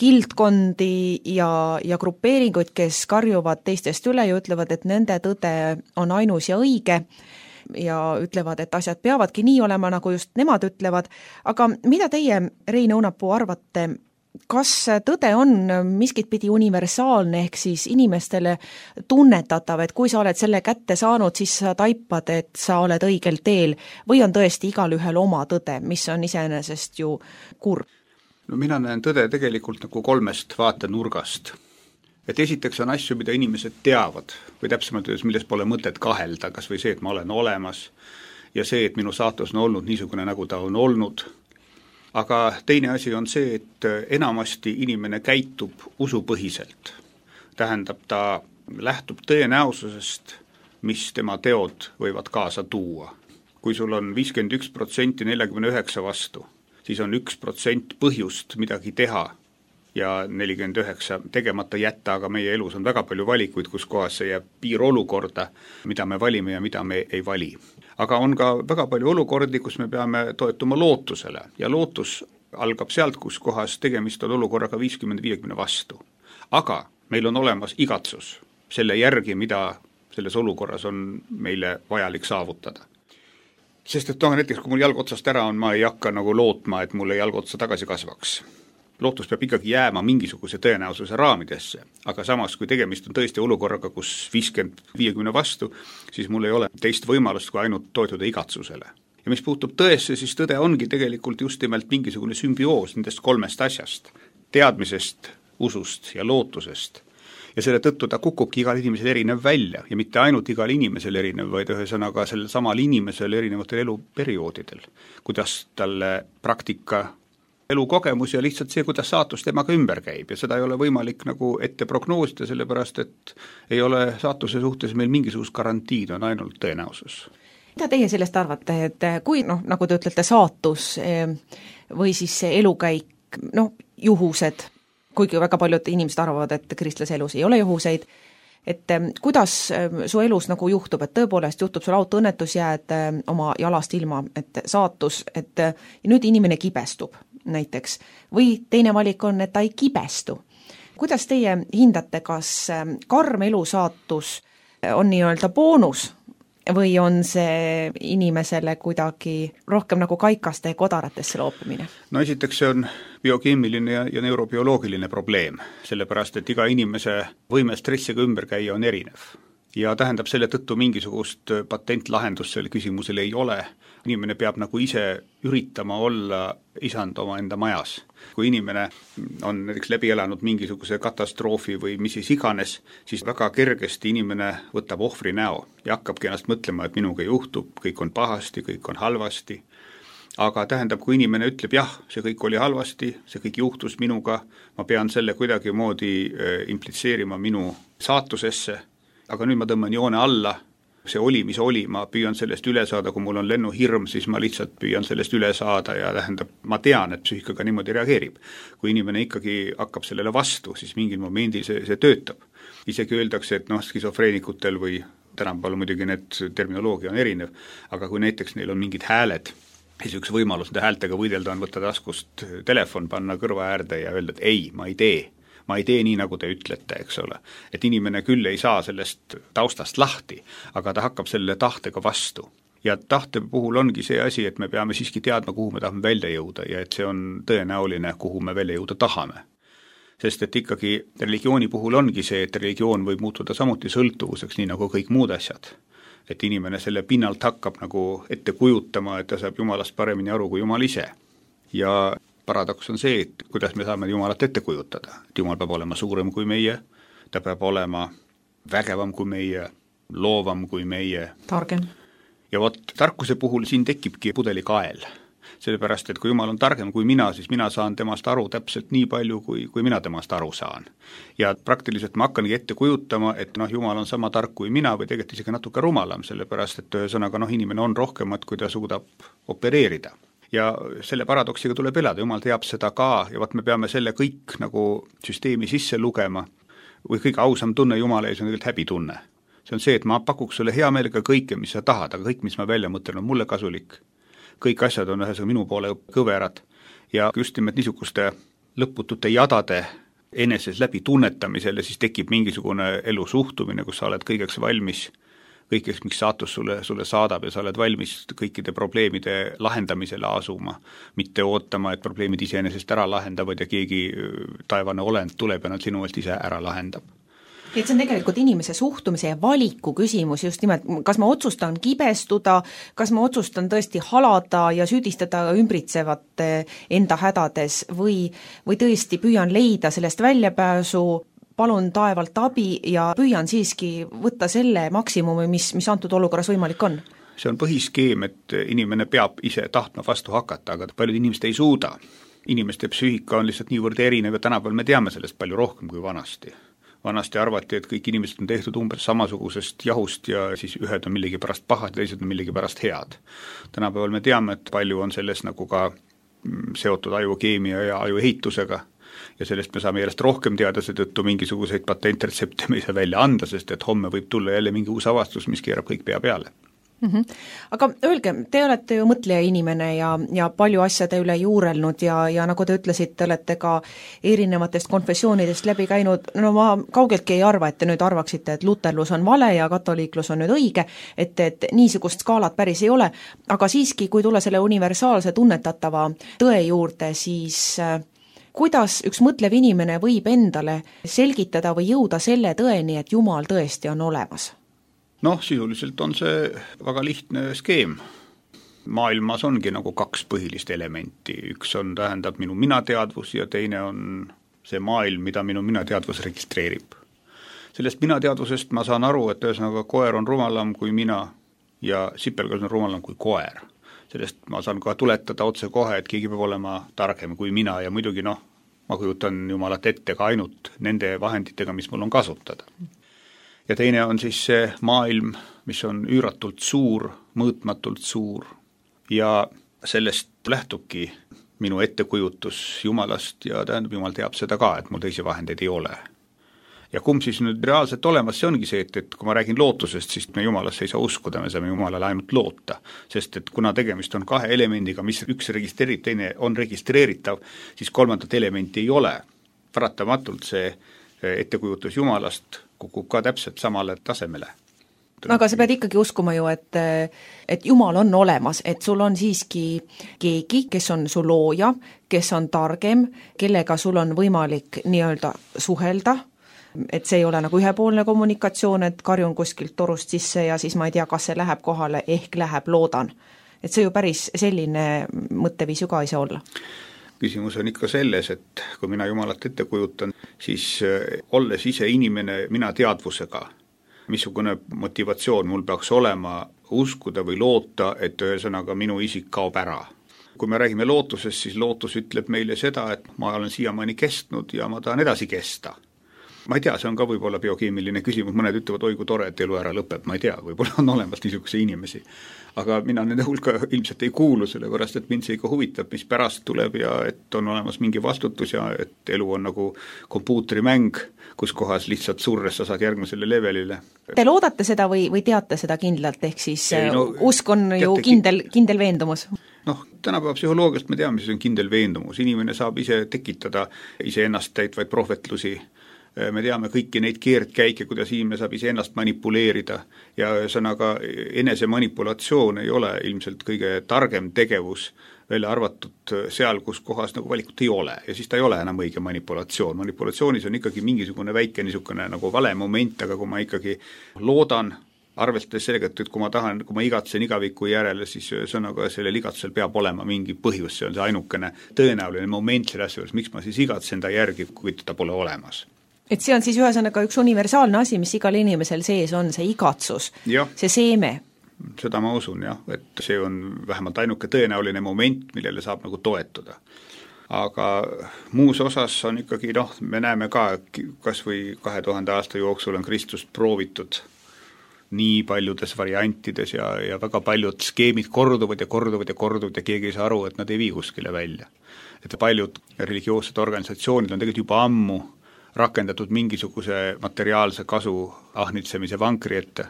Speaker 5: kildkondi ja, ja grupeeringuid, kes karjuvad teistest üle ja ütlevad, et nende tõde on ainus ja õige ja ütlevad, et asjad peavadki nii olema, nagu just nemad ütlevad. Aga mida teie, Rein Õunapuu, arvate, kas tõde on miskit pidi universaalne ehk siis inimestele tunnetatav, et kui sa oled selle kätte saanud, siis sa taipad, et sa oled õigel teel või on tõesti igal ühel oma tõde, mis on iseenesest ju kurb?
Speaker 6: No mina näen tõde tegelikult nagu kolmest vaatenurgast. Et esiteks on asju, mida inimesed teavad või täpsemalt öeldes, milles pole mõtet kahelda, kas või see, et ma olen olemas ja see, et minu saatus on olnud niisugune, nagu ta on olnud. Aga teine asi on see, et enamasti inimene käitub usupõhiselt. Tähendab, ta lähtub tõenäosusest, mis tema teod võivad kaasa tuua. Kui sul on viiskümmend üks protsenti neljakümne üheksa vastu, siis on üks protsent põhjust midagi teha ja nelikümmend üheksa tegemata jätta, aga meie elus on väga palju valikuid, kus kohas see jääb piirolukorda, mida me valime ja mida me ei vali. Aga on ka väga palju olukordi, kus me peame toetuma lootusele ja lootus algab sealt, kus kohas tegemist on olukorraga viiskümmend viiekümne vastu. Aga meil on olemas igatsus selle järgi, mida selles olukorras on meile vajalik saavutada. Sest et noh, näiteks kui mul jalg otsast ära on, ma ei hakka nagu lootma, et mulle jalg otsa tagasi kasvaks. Lootus peab ikkagi jääma mingisuguse tõenäosuse raamidesse, aga samas, kui tegemist on tõesti olukorraga, kus viiskümmend viiekümne vastu, siis mul ei ole teist võimalust kui ainult toetuda igatsusele. Ja mis puutub tõesse, siis tõde ongi tegelikult just nimelt mingisugune sümbioos nendest kolmest asjast, teadmisest, usust ja lootusest. Ja selle tõttu ta kukubki igal inimesel erinev välja ja mitte ainult igal inimesel erinev, vaid ühesõnaga sellel samal inimesel erinevatel eluperioodidel, kuidas talle praktika elukogemus ja lihtsalt see, kuidas saatus temaga ümber käib ja seda ei ole võimalik nagu ette prognoosida, sellepärast et ei ole saatuse suhtes meil mingisugust garantiid, on ainult tõenäosus.
Speaker 5: Mida teie sellest arvate, et kui, noh, nagu te ütlete, saatus või siis see elukäik, noh, juhused, kuigi väga paljud inimesed arvavad, et kristlase elus ei ole juhuseid, et kuidas su elus nagu juhtub, et tõepoolest juhtub sul autoõnnetus, jääd oma jalast ilma, et saatus, et nüüd inimene kibestub näiteks, või teine valik on, et ta ei kibestu. Kuidas teie hindate, kas karm elusaatus on nii-öelda boonus või on see inimesele kuidagi rohkem nagu kaikaste ja kodaratesse loopimine?
Speaker 6: No esiteks see on biokeemiline ja, ja neurobioloogiline probleem, sellepärast et iga inimese võime stressiga ümber käia on erinev. Ja tähendab selle tõttu mingisugust patentlahendust selle küsimusele ei ole. Inimene peab nagu ise üritama olla isand oma enda majas. Kui inimene on näiteks läbi elanud mingisuguse katastroofi või mis siis iganes, siis väga kergesti inimene võtab ohvri näo ja hakkabki ennast mõtlema, et minuga juhtub, kõik on pahasti, kõik on halvasti. Aga tähendab, kui inimene ütleb, jah, see kõik oli halvasti, see kõik juhtus minuga, ma pean selle kuidagi moodi implitseerima minu saatusesse, aga nüüd ma tõmban joone alla see oli, mis oli, ma püüan sellest üle saada, kui mul on lennuhirm, siis ma lihtsalt püüan sellest üle saada ja tähendab, ma tean, et psüühikaga niimoodi reageerib. Kui inimene ikkagi hakkab sellele vastu, siis mingil momendil see, see töötab. Isegi öeldakse, et noh, skisofreenikutel või tänapäeval muidugi need terminoloogia on erinev, aga kui näiteks neil on mingid hääled, siis üks võimalus nende häältega võidelda on võtta taskust telefon, panna kõrva äärde ja öelda, et ei, ma ei tee. ma ei tee nii, nagu te ütlete, eks ole. Et inimene küll ei saa sellest taustast lahti, aga ta hakkab selle tahtega vastu. Ja tahte puhul ongi see asi, et me peame siiski teadma, kuhu me tahame välja jõuda ja et see on tõenäoline, kuhu me välja jõuda tahame. Sest et ikkagi religiooni puhul ongi see, et religioon võib muutuda samuti sõltuvuseks, nii nagu kõik muud asjad. Et inimene selle pinnalt hakkab nagu ette kujutama, et ta saab Jumalast paremini aru kui Jumal ise. Ja paradoks on see, et kuidas me saame Jumalat ette kujutada. Et Jumal peab olema suurem kui meie, ta peab olema vägevam kui meie, loovam kui meie.
Speaker 5: Targem.
Speaker 6: Ja vot tarkuse puhul siin tekibki pudelikael. Sellepärast, et kui Jumal on targem kui mina, siis mina saan temast aru täpselt nii palju, kui, kui mina temast aru saan. Ja praktiliselt ma hakkangi ette kujutama, et noh, Jumal on sama tark kui mina või tegelikult isegi natuke rumalam, sellepärast, et ühesõnaga noh, inimene on rohkemat, kui ta suudab opereerida. Ja selle paradoksiga tuleb elada, Jumal teab seda ka ja vaat me peame selle kõik nagu süsteemi sisse lugema või kõige ausam tunne Jumala ees on tegelikult häbitunne. See on see, et ma pakuks sulle hea meelega kõike, mis sa tahad, aga kõik, mis ma välja mõtlen, on mulle kasulik. Kõik asjad on ühesõnaga minu poole kõverad ja just nimelt niisuguste lõputute jadade eneses läbi tunnetamisele siis tekib mingisugune elu suhtumine, kus sa oled kõigeks valmis, kõigeks, miks saatus sulle, sulle saadab ja sa oled valmis kõikide probleemide lahendamisele asuma, mitte ootama, et probleemid iseenesest ära lahendavad ja keegi taevane olend tuleb ja nad sinu eest ise ära lahendab.
Speaker 5: Et see on tegelikult inimese suhtumise ja valiku küsimus just nimelt, kas ma otsustan kibestuda, kas ma otsustan tõesti halada ja süüdistada ümbritsevat enda hädades või, või tõesti püüan leida sellest väljapääsu, palun taevalt abi ja püüan siiski võtta selle maksimumi, mis, mis antud olukorras võimalik on.
Speaker 6: See on põhiskeem, et inimene peab ise tahtma vastu hakata, aga paljud inimesed ei suuda. Inimeste psüühika on lihtsalt niivõrd erinev ja tänapäeval me teame sellest palju rohkem kui vanasti. Vanasti arvati, et kõik inimesed on tehtud umbes samasugusest jahust ja siis ühed on millegi pärast pahad ja teised on millegi pärast head. Tänapäeval me teame, et palju on selles nagu ka seotud ajukeemia ja ajuehitusega ja sellest me saame järjest rohkem teada, seetõttu mingisuguseid patentretsepte me ei saa välja anda, sest et homme võib tulla jälle mingi uus avastus, mis keerab kõik pea peale.
Speaker 5: Mm-hmm. Aga öelge, te olete ju mõtleja inimene ja, ja palju asjade üle juurelnud ja, ja nagu te ütlesite, olete ka erinevatest konfessioonidest läbi käinud, no ma kaugeltki ei arva, et te nüüd arvaksite, et luterlus on vale ja katoliiklus on nüüd õige, et, et niisugust skaalat päris ei ole, aga siiski, kui tulla selle universaalse tunnetatava tõe juurde, siis kuidas üks mõtlev inimene võib endale selgitada või jõuda selle tõeni, et Jumal tõesti on olemas?
Speaker 6: Noh, sisuliselt on see väga lihtne skeem. Maailmas ongi nagu kaks põhilist elementi. Üks on, tähendab minu minateadvus ja teine on see maailm, mida minu minateadvus registreerib. Sellest minateadvusest ma saan aru, et ühesõnaga koer on rumalam kui mina ja sipelgas on rumalam kui koer. Sellest ma saan ka tuletada otse kohe, et keegi peab olema targem kui mina ja muidugi noh, ma kujutan Jumalat ette ka ainult nende vahenditega, mis mul on kasutada. Ja teine on siis see maailm, mis on üüratult suur, mõõtmatult suur ja sellest lähtubki minu ettekujutus Jumalast ja tähendab, Jumal teab seda ka, et mul teisi vahendeid ei ole. Ja kumb siis nüüd reaalselt olemas, see ongi see, et, et kui ma räägin lootusest, siis me Jumalasse ei saa uskuda, me saame Jumalale ainult loota, sest et kuna tegemist on kahe elemendiga, mis üks registreerib, teine on registreeritav, siis kolmandat elementi ei ole. Paratamatult see ettekujutus Jumalast kukub ka täpselt samale tasemele.
Speaker 5: Aga sa pead ikkagi uskuma ju, et, et Jumal on olemas, et sul on siiski keegi, kes on su looja, kes on targem, kellega sul on võimalik nii-öelda suhelda, et see ei ole nagu ühepoolne kommunikatsioon, et karjun kuskilt torust sisse ja siis ma ei tea, kas see läheb kohale, ehk läheb, loodan. Et see ju päris selline mõtteviis ju ka ei saa olla.
Speaker 6: Küsimus on ikka selles, et kui mina Jumalat ette kujutan, siis olles ise inimene mina teadvusega, missugune motivatsioon mul peaks olema uskuda või loota, et ühesõnaga minu isik kaob ära. Kui me räägime lootusest, siis lootus ütleb meile seda, et ma olen siiamaani kestnud ja ma tahan edasi kesta. ma ei tea, see on ka võib-olla biokeemiline küsimus, mõned ütlevad, oi kui tore, et elu ära lõpeb, ma ei tea, võib-olla on olemas niisuguse inimesi. Aga mina nende hulka ilmselt ei kuulu, sellepärast et mind see ikka huvitab, mis pärast tuleb ja et on olemas mingi vastutus ja et elu on nagu kompuutrimäng, kus kohas lihtsalt surres sa saad järgmisele levelile.
Speaker 5: Te loodate seda või, või teate seda kindlalt, ehk siis ei, no, usk on ju
Speaker 6: teate,
Speaker 5: kindel, kindel veendumus?
Speaker 6: Noh, tänapäeva psühholoogiast me teame, mis on kindel veendumus. Inimene saab ise tekitada ise ennast täitvaid prohvetlusi. Me teame kõiki neid keerdkäike, kuidas inimene saab ise ennast manipuleerida ja ühesõnaga enese manipulatsioon ei ole ilmselt kõige targem tegevus, välja arvatud seal, kus kohas nagu valikut ei ole ja siis ta ei ole enam õige manipulatsioon. Manipulatsioonis on ikkagi mingisugune väike niisugune nagu vale moment, aga kui ma ikkagi loodan, arvestades sellega, et kui ma tahan, kui ma igatsen igaviku järele, siis sõnaga sellel igatsel peab olema mingi põhjus, see on see ainukene tõenäoline moment selle asja juures, miks ma siis igatsen ta järgi, kui ta pole olemas.
Speaker 5: Et see on siis ühesõnaga üks universaalne asi, mis igal inimesel sees on, see igatsus, ja. See seeme.
Speaker 6: Seda ma usun, jah, et see on vähemalt ainuke tõenäoline moment, millele saab nagu toetuda. Aga muus osas on ikkagi, noh, me näeme ka, kas või kahe tuhande aasta jooksul on Kristust proovitud nii paljudes variantides ja, ja väga paljud skeemid korduvad ja korduvad ja korduvad ja keegi ei saa aru, et nad ei vii kuskile välja. Et paljud religioossed organisatsioonid on tegelikult juba ammu rakendatud mingisuguse materiaalse kasu ahnitsemise vankri ette.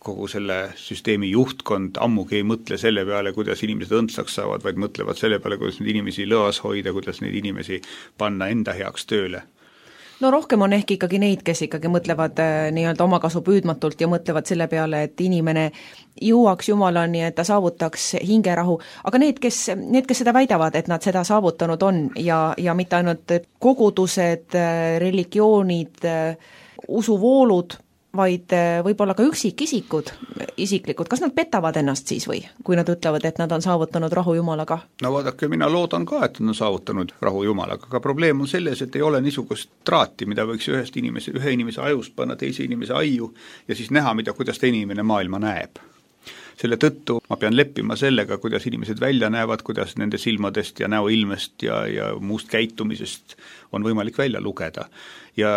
Speaker 6: Kogu selle süsteemi juhtkond ammugi ei mõtle selle peale, kuidas inimesed õndsaks saavad, vaid mõtlevad selle peale, kuidas neid inimesi lõas hoida, kuidas neid inimesi panna enda heaks tööle.
Speaker 5: No rohkem on ehk ikkagi neid, kes ikkagi mõtlevad nii-öelda omakasu püüdmatult ja mõtlevad selle peale, et inimene jõuaks Jumalani, et ta saavutaks hingerahu, aga need, kes, need, kes seda väidavad, et nad seda saavutanud on ja, ja mitte ainult kogudused, religioonid, usuvoolud, vaid võib-olla ka üksikisikud, isiklikud, kas nad petavad ennast siis või, kui nad ütlevad, et nad on saavutanud rahu Jumalaga? No
Speaker 6: vaadake, mina loodan ka, et nad on saavutanud rahu Jumalaga, aga probleem on selles, et ei ole niisugust traati, mida võiks ühest inimese, ühe inimese ajust panna teise inimese aiu ja siis näha, mida, kuidas teine inimene maailma näeb. Selle tõttu ma pean leppima sellega, kuidas inimesed välja näevad, kuidas nende silmadest ja näoilmest ja, ja muust käitumisest on võimalik välja lugeda. Ja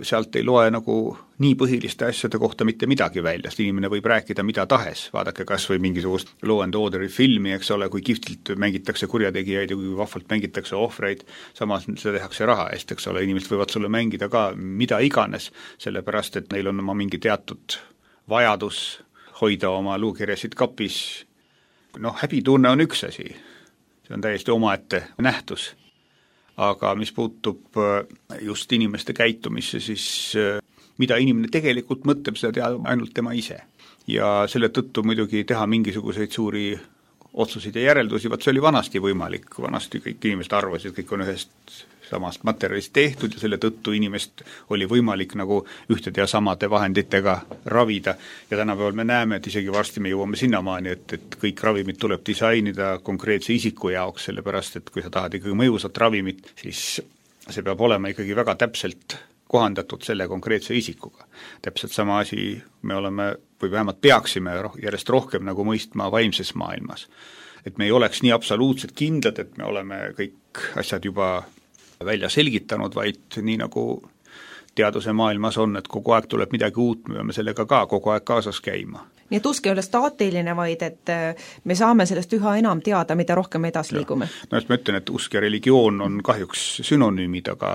Speaker 6: sealt ei loe nagu nii põhiliste asjade kohta mitte midagi välja, sest inimene võib rääkida mida tahes, vaadake kas või mingisugust Law and Orderi filmi, eks ole, kui kihvtilt mängitakse kurjategijaid ja kui vahvalt mängitakse ohvreid, samas seda tehakse raha eest, eks ole, inimesed võivad sulle mängida ka mida iganes, sellepärast et neil on oma mingi teatud vajadus hoida oma luukirjasid kapis. Noh, häbitunne on üks asi, see on täiesti omaette nähtus. Aga mis puutub just inimeste käitumisse, siis mida inimene tegelikult mõtleb, seda teab ainult tema ise. Ja selle tõttu muidugi teha mingisuguseid suuri otsuseid ja järeldusi, vaat see oli vanasti võimalik, vanasti kõik inimesed arvasid, kõik on ühest samast materjalist tehtud ja selle tõttu inimest oli võimalik nagu ühtede ja samade vahenditega ravida ja tänapäeval me näeme, et isegi varsti me jõuame sinnamaani, et, et kõik ravimid tuleb disainida konkreetse isiku jaoks, sellepärast et kui sa tahad ikkagi mõjusat ravimit, siis see peab olema ikkagi väga täpselt kohandatud selle konkreetse isikuga. Täpselt sama asi me oleme, või vähemalt peaksime järjest rohkem nagu mõistma vaimses maailmas. Et me ei oleks nii absoluutselt kindlad, et me oleme kõik asjad juba välja selgitanud, vaid nii nagu teaduse maailmas on, et kogu aeg tuleb midagi uut, me peame sellega ka kogu aeg kaasas käima.
Speaker 5: Nii et usk ei ole staatiline, vaid et me saame sellest üha enam teada, mida rohkem edasi liigume.
Speaker 6: No just ma ütlen, et usk ja religioon on kahjuks synonüümid, aga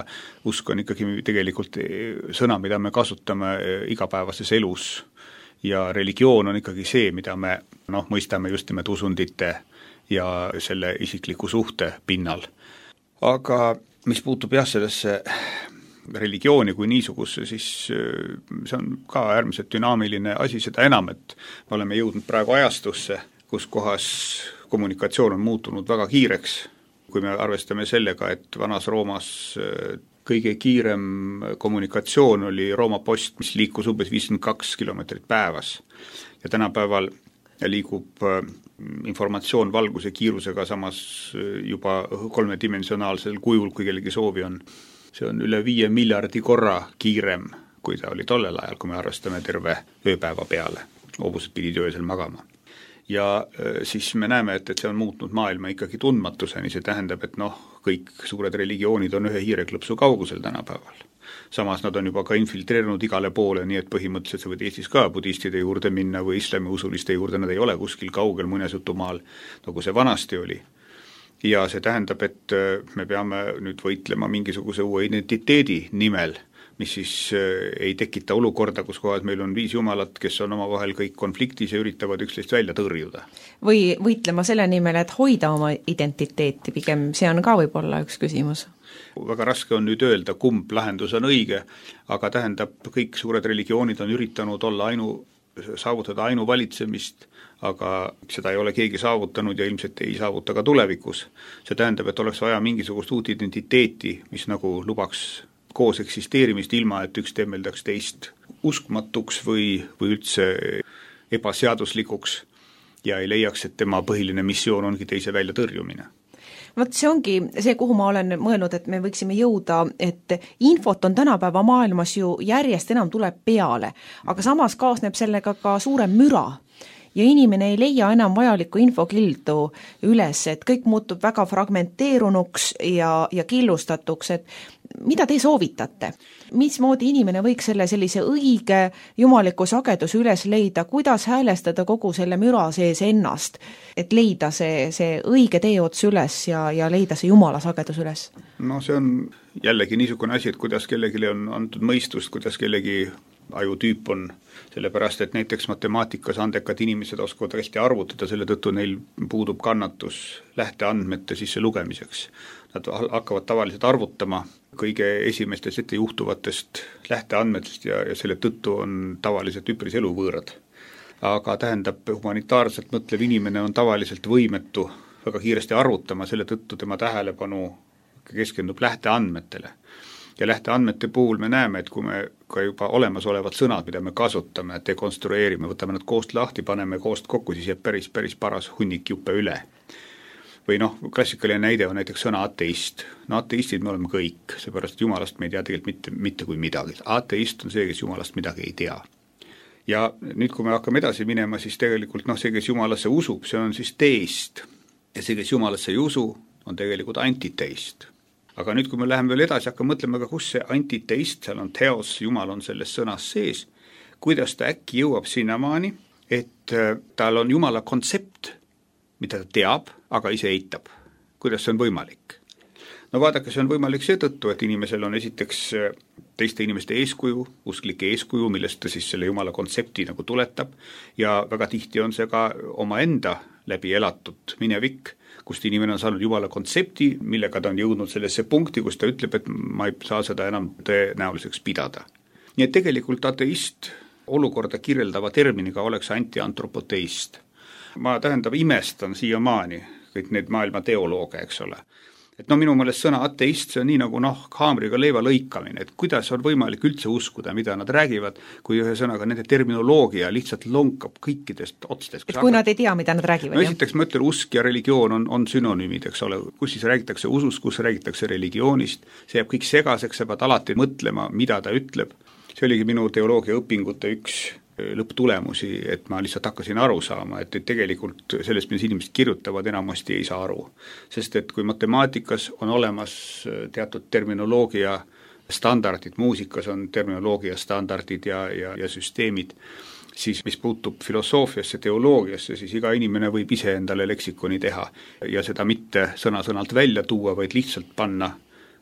Speaker 6: usk on ikkagi tegelikult sõna, mida me kasutame igapäevases elus ja religioon on ikkagi see, mida me noh, mõistame just nimelt usundite ja selle isikliku suhte pinnal. Aga mis puutub jah sellesse religiooni kui niisugusse, siis see on ka äärmiselt dünaamiline asi, seda enam, et me oleme jõudnud praegu ajastusse, kus kohas kommunikatsioon on muutunud väga kiireks, kui me arvestame sellega, et vanas Roomas kõige kiirem kommunikatsioon oli Rooma post, mis liikus umbes viiskümmend kaks kilomeetrit päevas ja tänapäeval liigub informatsioon valguse kiirusega samas juba kolmedimensionaalsel kujul, kui kellegi soovi on. See on üle viie miljardi korra kiirem, kui ta oli tollel ajal, kui me arvestame terve ööpäeva peale. Hobused pidid öösel magama. ja siis me näeme, et, et see on muutnud maailma ikkagi tundmatuseni, see tähendab, et noh, kõik suured religioonid on ühe hiireklõpsu kaugusel tänapäeval. Samas nad on juba ka infiltreerunud igale poole, nii et põhimõtteliselt sa võid Eestis ka budistide juurde minna või islamiusuliste juurde, nad ei ole kuskil kaugel muinasjutumaal, nagu see vanasti oli. Ja see tähendab, et me peame nüüd võitlema mingisuguse uue identiteedi nimel, mis siis ei tekita olukorda, kus kohas meil on viis jumalat, kes on omavahel kõik konfliktis ja üritavad üksteist välja tõrjuda.
Speaker 5: Või võitlema selle nimel, et hoida oma identiteeti, pigem see on ka võib-olla üks küsimus.
Speaker 6: Väga raske on nüüd öelda, kumb lahendus on õige, aga tähendab, kõik suured religioonid on üritanud olla ainu, saavutada ainuvalitsemist, aga seda ei ole keegi saavutanud ja ilmselt ei saavuta ka tulevikus. See tähendab, et oleks vaja mingisugust uut identiteeti, mis nagu lubaks koos eksisteerimist ilma, et üks temmeldaks teist uskmatuks või, või üldse ebaseaduslikuks ja ei leiaks, et tema põhiline missioon ongi teise välja tõrjumine.
Speaker 5: Vot see ongi see, kuhu ma olen mõelnud, et me võiksime jõuda, et infot on tänapäeva maailmas ju järjest enam tuleb peale, aga samas kaasneb sellega ka suurem müra. Ja inimene ei leia enam vajalikku infokildu üles, et kõik muutub väga fragmenteerunuks ja, ja killustatuks, et mida te soovitate? Mismoodi inimene võiks selle sellise õige jumaliku sageduse üles leida, kuidas häälestada kogu selle müra sees ennast, et leida see, see õige teeots üles ja, ja leida see jumala sagedus üles?
Speaker 6: No see on jällegi niisugune asi, et kuidas kellelegi on antud mõistust, kuidas kellegi ajutüüp on, sellepärast et näiteks matemaatikas andekad inimesed oskavad hästi arvutada, selle tõttu neil puudub kannatus lähteandmete sisse lugemiseks. Nad hakkavad tavaliselt arvutama kõige esimestest ette juhtuvatest lähteandmetest ja, ja selle tõttu on tavaliselt üpris eluvõõrad. Aga tähendab, humanitaarselt mõtlev inimene on tavaliselt võimetu väga kiiresti arvutama, selle tõttu tema tähelepanu keskendub lähteandmetele. Ja lähteandmete puhul me näeme, et kui me ka juba olemasolevad sõnad, mida me kasutame, dekonstrueerime, võtame nad koost lahti, paneme koost kokku, siis jääb päris, päris paras hunnik juppe üle. Või noh, klassikaline näide on näiteks sõna ateist. No ateistid me oleme kõik, seepärast jumalast me ei tea tegelikult mitte, mitte kui midagi. Ateist on see, kes jumalast midagi ei tea. Ja nüüd, kui me hakkame edasi minema, siis tegelikult noh, see, kes jumalasse usub, see on siis teist. Ja see, kes jumalasse ei usu, on tegelikult antiteist. Aga nüüd, kui me läheme veel edasi, hakkame mõtlema ka, kus see antiteist, seal on teos, jumal on selles sõnas sees, kuidas ta äkki jõuab sinnamaani, et tal on jumala kontsept, mida ta teab, aga ise eitab. Kuidas see on võimalik? No vaadake, see on võimalik seetõttu, et inimesel on esiteks teiste inimeste eeskuju, usklike eeskuju, millest ta siis selle jumala kontsepti nagu tuletab ja väga tihti on see ka oma enda läbi elatud minevik, kust inimene on saanud jumala kontsepti, millega ta on jõudnud sellesse punkti, kus ta ütleb, et ma ei saa seda enam tõenäoliseks pidada. Nii et tegelikult ateist olukorda kirjeldava terminiga oleks antiantropoteist. Ma tähendab imestan siiamaani kõik need maailma teolooge, eks ole. Et no minu mõelest sõna ateist, see on nii nagu noh, haamriga leiva lõikamine, et kuidas on võimalik üldse uskuda, mida nad räägivad, kui ühe sõnaga nende terminoloogia lihtsalt lonkab kõikidest otstest.
Speaker 5: Et kui hakkab... nad ei tea, mida nad räägivad.
Speaker 6: No esiteks ma ütlen, usk ja religioon on, on sünonüümid, eks ole, kus siis räägitakse usust, kus räägitakse religioonist, see jääb kõik segaseks, sa pead alati mõtlema, mida ta ütleb. See oligi minu teoloogia õpingute üks lõpptulemusi, et ma lihtsalt hakkasin aru saama, et tegelikult sellest, mis inimesed kirjutavad, enamasti ei saa aru. Sest et kui matemaatikas on olemas teatud terminoloogia standardid, muusikas on terminoloogia standardid ja, ja, ja süsteemid, siis mis puutub filosoofiasse, teoloogiasse, siis iga inimene võib ise endale leksikoni teha ja seda mitte sõna-sõnalt välja tuua, vaid lihtsalt panna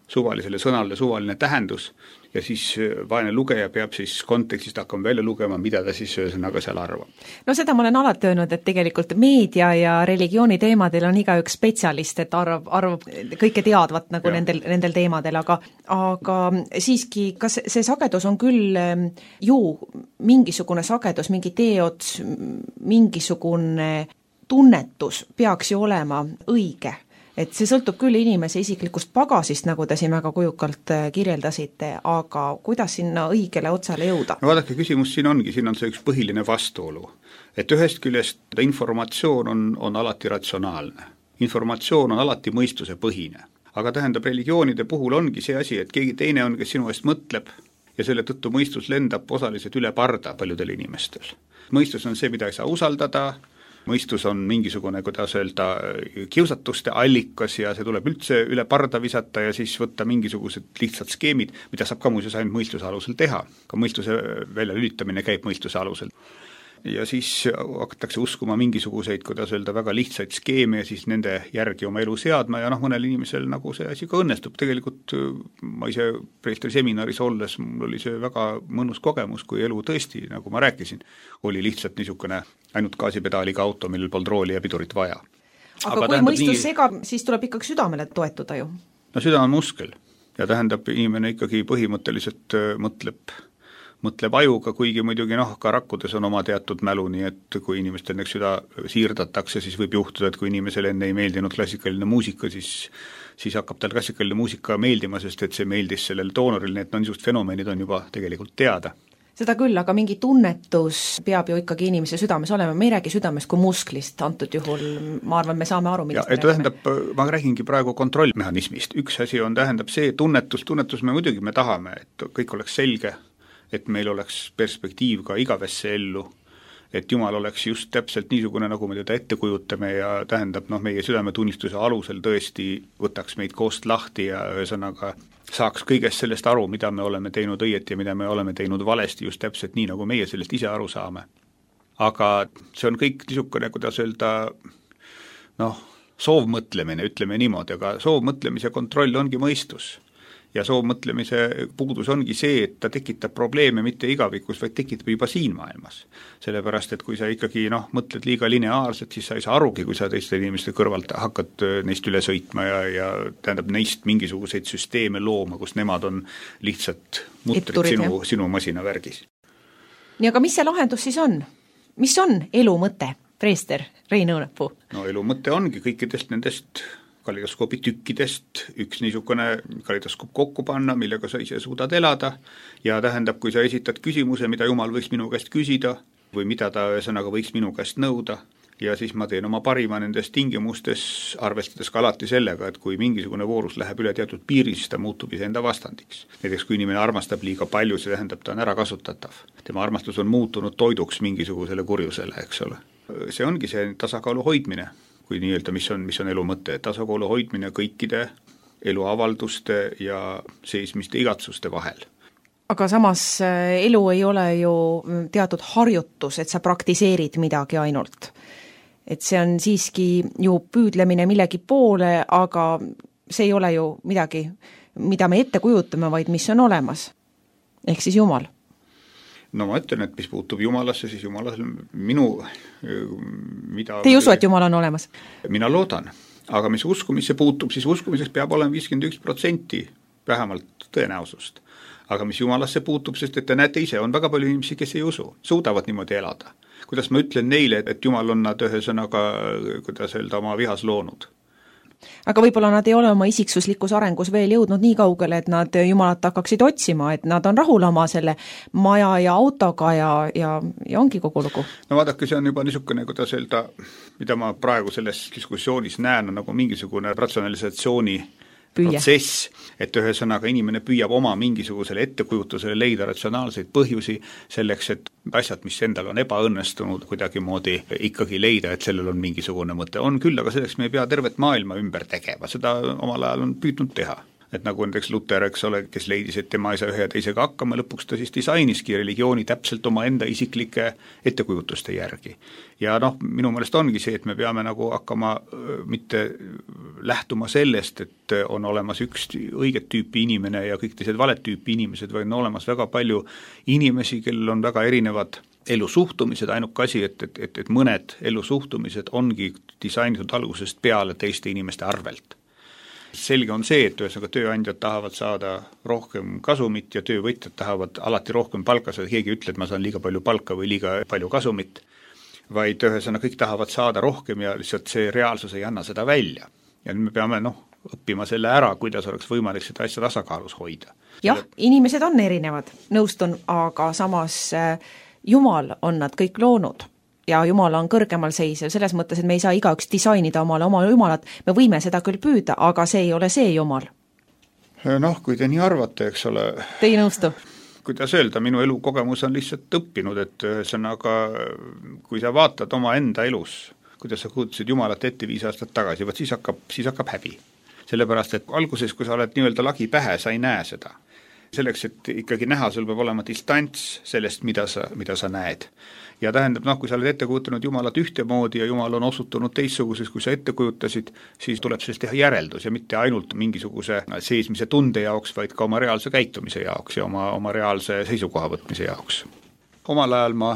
Speaker 6: suvalisele sõnale suvaline tähendus ja siis vaene lugeja peab siis kontekstist hakkama välja lugema, mida ta siis sõnaga seal arvab.
Speaker 5: No seda ma olen alati öelnud, et tegelikult meedia ja religiooni teemadel on igaüks spetsialist, et arv, arv kõike teadvat nagu nendel, nendel teemadel, aga, aga siiski, kas see sagedus on küll ju mingisugune sagedus, mingi teeots, mingisugune tunnetus peaks ju olema õige? Et see sõltub küll inimese isiklikust pagasist, nagu te siin väga kujukalt kirjeldasite, aga kuidas sinna õigele otsale jõuda?
Speaker 6: No vaadake, küsimus siin ongi, siin on see üks põhiline vastuolu. Et ühest küljest informatsioon on, on alati ratsionaalne. Informatsioon on alati mõistuse põhine. Aga tähendab, religioonide puhul ongi see asi, et keegi teine on, kes sinu eest mõtleb ja selle tõttu mõistus lendab osaliselt üle parda paljudel inimestel. Mõistus on see, mida ei saa usaldada, mõistus on mingisugune, kuidas öelda, kiusatuste allikas ja see tuleb üldse üle parda visata ja siis võtta mingisugused lihtsad skeemid, mida saab ka muuseas ainult mõistuse alusel teha. Ka mõistuse väljalülitamine käib mõistuse alusel. Ja siis hakatakse uskuma mingisuguseid, kuidas öelda, väga lihtsaid skeeme ja siis nende järgi oma elu seadma ja noh, mõnel inimesel nagu see asi ka õnnestub. Tegelikult ma ise preestri seminaris olles, mul oli see väga mõnus kogemus, kui elu tõesti, nagu ma rääkisin, oli lihtsalt niisugune ainult gaasipedaaliga auto, millel polnud rooli ja pidurit vaja.
Speaker 5: Aga, Aga kui mõistus nii... segab, siis tuleb ikkagi südamele toetuda ju?
Speaker 6: No süda on muskel ja tähendab, inimene ikkagi põhimõtteliselt mõtleb mõtleb ajuga, kuigi muidugi noh, ka rakkudes on oma teatud mälu, nii et kui inimestel näiteks süda siirdatakse, siis võib juhtuda, et kui inimesele enne ei meeldinud klassikaline muusika, siis, siis hakkab tal klassikaline muusika meeldima, sest et see meeldis sellel doonoril, nii et no niisugust fenomenid on juba tegelikult teada.
Speaker 5: Seda küll, aga mingi tunnetus peab ju ikkagi inimese südames olema, me ei räägi südamest kui musklist, antud juhul ma arvan, me saame aru, millest
Speaker 6: ja, me tähendab, ma räägingi praegu kontrollmehhanismist, üks asi on, tähendab see tunnetus, tunnetus me muidugi me tahame, et kõik oleks selge, et meil oleks perspektiiv ka igavesse ellu, et Jumal oleks just täpselt niisugune, nagu me teda ette kujutame ja tähendab, noh, meie südametunnistuse alusel tõesti võtaks meid koost lahti ja ühesõnaga saaks kõigest sellest aru, mida me oleme teinud õieti ja mida me oleme teinud valesti, just täpselt nii, nagu meie sellest ise aru saame. Aga see on kõik niisugune, kuidas öelda, noh, soovmõtlemine, ütleme niimoodi, aga soovmõtlemise kontroll ongi mõistus. Ja soovmõtlemise puudus ongi see, et ta tekitab probleeme mitte igavikus, vaid tekitab juba siin maailmas. Sellepärast, et kui sa ikkagi noh, mõtled liiga lineaarselt, siis sa ei saa arugi, kui sa teiste inimeste kõrvalt hakkad neist üle sõitma ja, ja tähendab neist mingisuguseid süsteeme looma, kus nemad on lihtsalt mutrid Etturid, sinu, sinu masinavärgis.
Speaker 5: Nii, aga mis see lahendus siis on? Mis on elu mõte, preester Rein Õunapuu?
Speaker 6: No elu mõte ongi kõikidest nendest kalidoskoopi tükkidest üks niisugune kalidoskoop kokku panna, millega sa ise suudad elada ja tähendab, kui sa esitad küsimuse, mida Jumal võiks minu käest küsida või mida ta ühesõnaga võiks minu käest nõuda ja siis ma teen oma parima nendes tingimustes, arvestades ka alati sellega, et kui mingisugune voorus läheb üle teatud piiri, siis ta muutub iseenda vastandiks. Näiteks kui inimene armastab liiga palju, see tähendab, ta on ära kasutatav. Tema armastus on muutunud toiduks mingisugusele kurjusele, eks ole. See ongi see tasakaalu hoidmine, kui nii-öelda, mis on, mis on elu mõte, tasakaalu hoidmine kõikide eluavalduste ja seismiste igatsuste vahel.
Speaker 5: Aga samas elu ei ole ju teatud harjutus, et sa praktiseerid midagi ainult. Et see on siiski ju püüdlemine millegi poole, aga see ei ole ju midagi, mida me ette kujutame, vaid mis on olemas. Ehk siis Jumal.
Speaker 6: No ma ütlen, et mis puutub Jumalasse, siis Jumalas minu mida...
Speaker 5: Te ei usu, et Jumal on olemas?
Speaker 6: Mina loodan, aga mis uskumisse puutub, siis uskumiseks peab olema viiskümmend üks protsenti vähemalt tõenäosust. Aga mis Jumalasse puutub, sest et te näete ise, on väga palju inimesi, kes ei usu, suudavad niimoodi elada. Kuidas ma ütlen neile, et Jumal on nad ühesõnaga, kuidas öelda, oma vihas loonud?
Speaker 5: Aga võib-olla nad ei ole oma isiksuslikus arengus veel jõudnud nii kaugele, et nad Jumalat hakkaksid otsima, et nad on rahul oma selle maja ja autoga ja, ja, ja ongi kogu lugu.
Speaker 6: No vaadake, see on juba niisugune, kuidas öelda, mida ma praegu selles diskussioonis näen, on nagu mingisugune ratsionalisatsiooni Püüa. protsess, et ühesõnaga inimene püüab oma mingisugusele ettekujutusele leida ratsionaalseid põhjusi selleks, et asjad, mis endal on ebaõnnestunud, kuidagi moodi ikkagi leida, et sellel on mingisugune mõte. On küll, aga selleks me ei pea tervet maailma ümber tegema, seda omal ajal on püüdnud teha. Et nagu näiteks Luter, eks ole, kes leidis, et tema ei saa ühe ja teisega hakkama, lõpuks ta siis disainiski religiooni täpselt oma enda isiklike ettekujutuste järgi. Ja noh, minu meelest ongi see, et me peame nagu hakkama mitte lähtuma sellest, et on olemas üks õiget tüüpi inimene ja kõik teised valet tüüpi inimesed, vaid on olemas väga palju inimesi, kellel on väga erinevad elusuhtumised, ainuke asi, et, et, et, et mõned elusuhtumised ongi disainitud algusest peale teiste inimeste arvelt. Selge on see, et ühesõnaga tööandjad tahavad saada rohkem kasumit ja töövõtjad tahavad alati rohkem palka saada, keegi ütle, et ma saan liiga palju palka või liiga palju kasumit, vaid ühesõnaga kõik tahavad saada rohkem ja lihtsalt see reaalsus ei anna seda välja. Ja nüüd me peame noh, õppima selle ära, kuidas oleks võimalik seda asja tasakaalus hoida.
Speaker 5: Jah, inimesed on erinevad, nõustun, aga samas Jumal on nad kõik loonud. Ja Jumal on kõrgemal seisev, selles mõttes, et me ei saa igaüks disainida omale oma Jumalat, me võime seda küll püüda, aga see ei ole see Jumal.
Speaker 6: Noh, kui te nii arvate, eks ole...
Speaker 5: Te ei nõustu?
Speaker 6: Kuidas öelda, minu elukogemus on lihtsalt õppinud, et ühesõnaga, kui sa vaatad oma enda elus, kuidas sa kujutasid Jumalat ette viis aastat tagasi, võt siis hakkab, siis hakkab häbi. Sellepärast, et alguses, kui sa oled nii-öelda lagi pähe, sa ei näe seda. Selleks, et ikkagi näha, sul peab olema distants sellest, mida sa, mida sa näed. Ja tähendab, noh, kui sa oled ette kujutanud Jumalat ühtemoodi ja Jumal on osutunud teistsuguses, kui sa ette kujutasid, siis tuleb sellest teha järeldus ja mitte ainult mingisuguse seesmise tunde jaoks, vaid ka oma reaalse käitumise jaoks ja oma, oma reaalse seisukoha võtmise jaoks. Omal ajal ma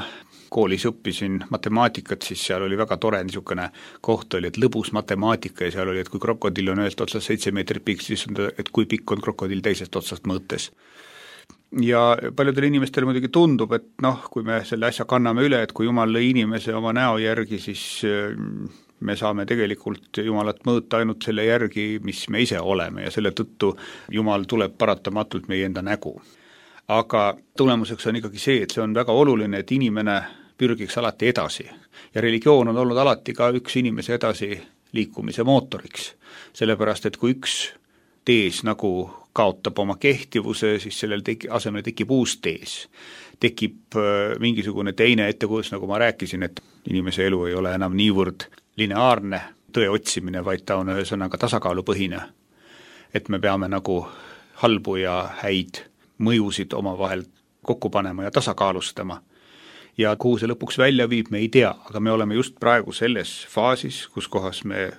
Speaker 6: koolis õppisin matemaatikat, siis seal oli väga tore niisugune koht oli, et lõbus matemaatika ja seal oli, et kui krokodill on ühest otsast seitse meetrit pikk, siis on ta, et kui pikk on krokodill teisest otsast mõõtes. Ja paljudele inimestele muidugi tundub, et noh, kui me selle asja kanname üle, et kui Jumal lõi inimese oma näo järgi, siis me saame tegelikult Jumalat mõõta ainult selle järgi, mis me ise oleme ja selle tõttu Jumal tuleb paratamatult meie enda nägu. Aga tulemuseks on ikkagi see, et see on väga oluline, et inimene pürgiks alati edasi ja religioon on olnud alati ka üks inimese edasi liikumise mootoriks, sellepärast et kui üks tees nagu kaotab oma kehtivuse, siis sellel teki, asemel tekib uus tees. Tekib äh, mingisugune teine ettekujutus, nagu ma rääkisin, et inimese elu ei ole enam niivõrd lineaarne tõe otsimine, vaid ta on ühesõnaga tasakaalupõhine. Et me peame nagu halbu ja häid mõjusid omavahel kokku panema ja tasakaalustama. Ja kuhu see lõpuks välja viib, me ei tea, aga me oleme just praegu selles faasis, kus kohas me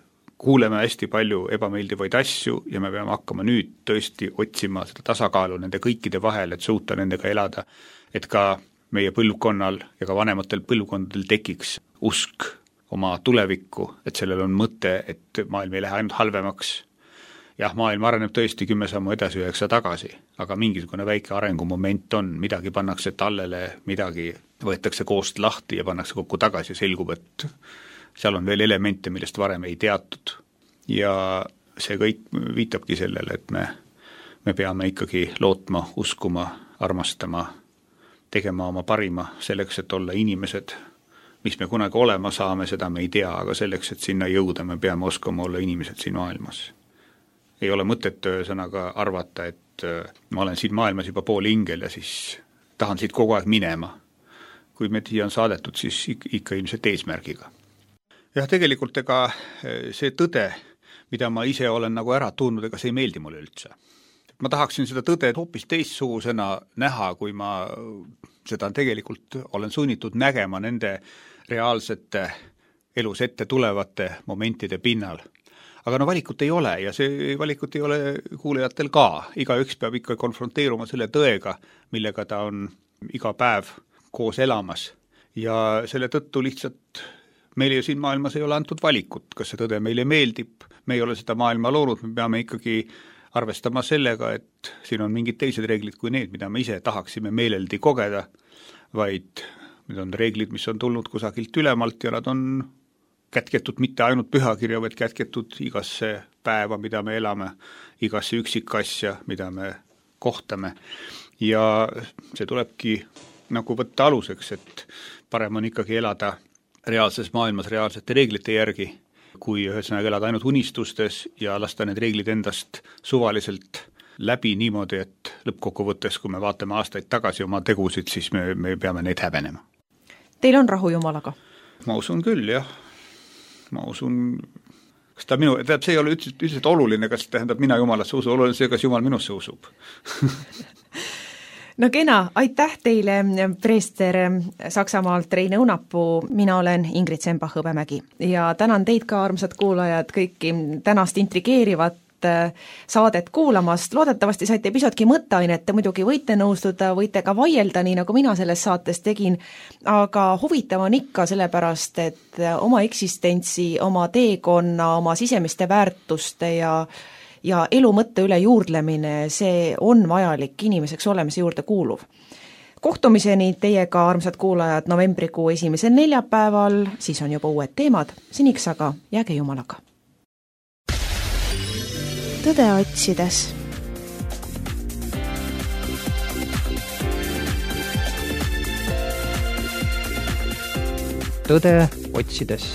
Speaker 6: kuuleme hästi palju ebameeldivaid asju ja me peame hakkama nüüd tõesti otsima seda tasakaalu nende kõikide vahel, et suuta nendega elada, et ka meie põlvkonnal ja ka vanematel põlvkondadel tekiks usk oma tulevikku, et sellel on mõte, et maailm ei lähe ainult halvemaks. Jah, maailm areneb tõesti kümme sammu edasi üheksa tagasi, aga mingisugune väike arengumoment on, midagi pannakse tallele, midagi võetakse koost lahti ja pannakse kokku tagasi ja selgub, et seal on veel elemente, millest varem ei teatud. Ja see kõik viitabki sellele, et me, me peame ikkagi lootma, uskuma, armastama, tegema oma parima selleks, et olla inimesed, mis me kunagi olema saame, seda me ei tea, aga selleks, et sinna jõuda, me peame oskama olla inimesed siin maailmas. Ei ole mõtet sõnaga arvata, et ma olen siin maailmas juba pool ingel ja siis tahan siit kogu aeg minema. Kui me siia on saadetud, siis ikka ilmselt eesmärgiga. Jah, tegelikult ega see tõde, mida ma ise olen nagu ära tundnud, ega see ei meeldi mulle üldse. Ma tahaksin seda tõde hoopis teistsugusena näha, kui ma seda tegelikult olen sunnitud nägema nende reaalsete elus ette tulevate momentide pinnal. Aga no valikut ei ole ja see valikut ei ole kuulajatel ka. Igaüks peab ikka konfronteeruma selle tõega, millega ta on iga päev koos elamas. Ja selle tõttu lihtsalt meil ju siin maailmas ei ole antud valikut, kas see tõde meile meeldib. Me ei ole seda maailma loonud, me peame ikkagi arvestama sellega, et siin on mingid teised reeglid kui need, mida me ise tahaksime meeleldi kogeda, vaid need on reeglid, mis on tulnud kusagilt ülemalt ja nad on kätketud mitte ainult pühakirja, vaid kätketud igasse päeva, mida me elame, igasse üksikasja, mida me kohtame. Ja see tulebki nagu võtta aluseks, et parem on ikkagi elada reaalses maailmas reaalsete reeglite järgi, kui ühesõnaga elada ainult unistustes ja lasta need reeglid endast suvaliselt läbi niimoodi, et lõppkokkuvõttes, kui me vaatame aastaid tagasi oma tegusid, siis me, me peame neid häbenema.
Speaker 5: Teil on rahu Jumalaga?
Speaker 6: Ma usun küll, jah. Ma usun, kas ta minu, tähendab, see ei ole üldiselt, üldiselt oluline, kas tähendab mina Jumalasse usu, oluline see, kas Jumal minusse usub.
Speaker 5: No kena, aitäh teile, preester Saksamaalt Reine Õunapuu, mina olen Ingrid Sembach-Hõbemägi ja tänan teid ka, armsad kuulajad, kõiki tänast intrigeerivat saadet kuulamast. Loodetavasti saite pisutki mõtteainet, te muidugi võite nõustuda, võite ka vaielda, nii nagu mina selles saates tegin, aga huvitav on ikka sellepärast, et oma eksistentsi, oma teekonna, oma sisemiste väärtuste ja ja elu mõtte üle juurdlemine, see on vajalik inimeseks olemise juurde kuuluv. Kohtumiseni teiega, armsad kuulajad, novembrikuu esimesel neljapäeval, siis on juba uued teemad, seniks aga jääge Jumalaga.
Speaker 2: Tõde otsides.
Speaker 3: Tõde otsides.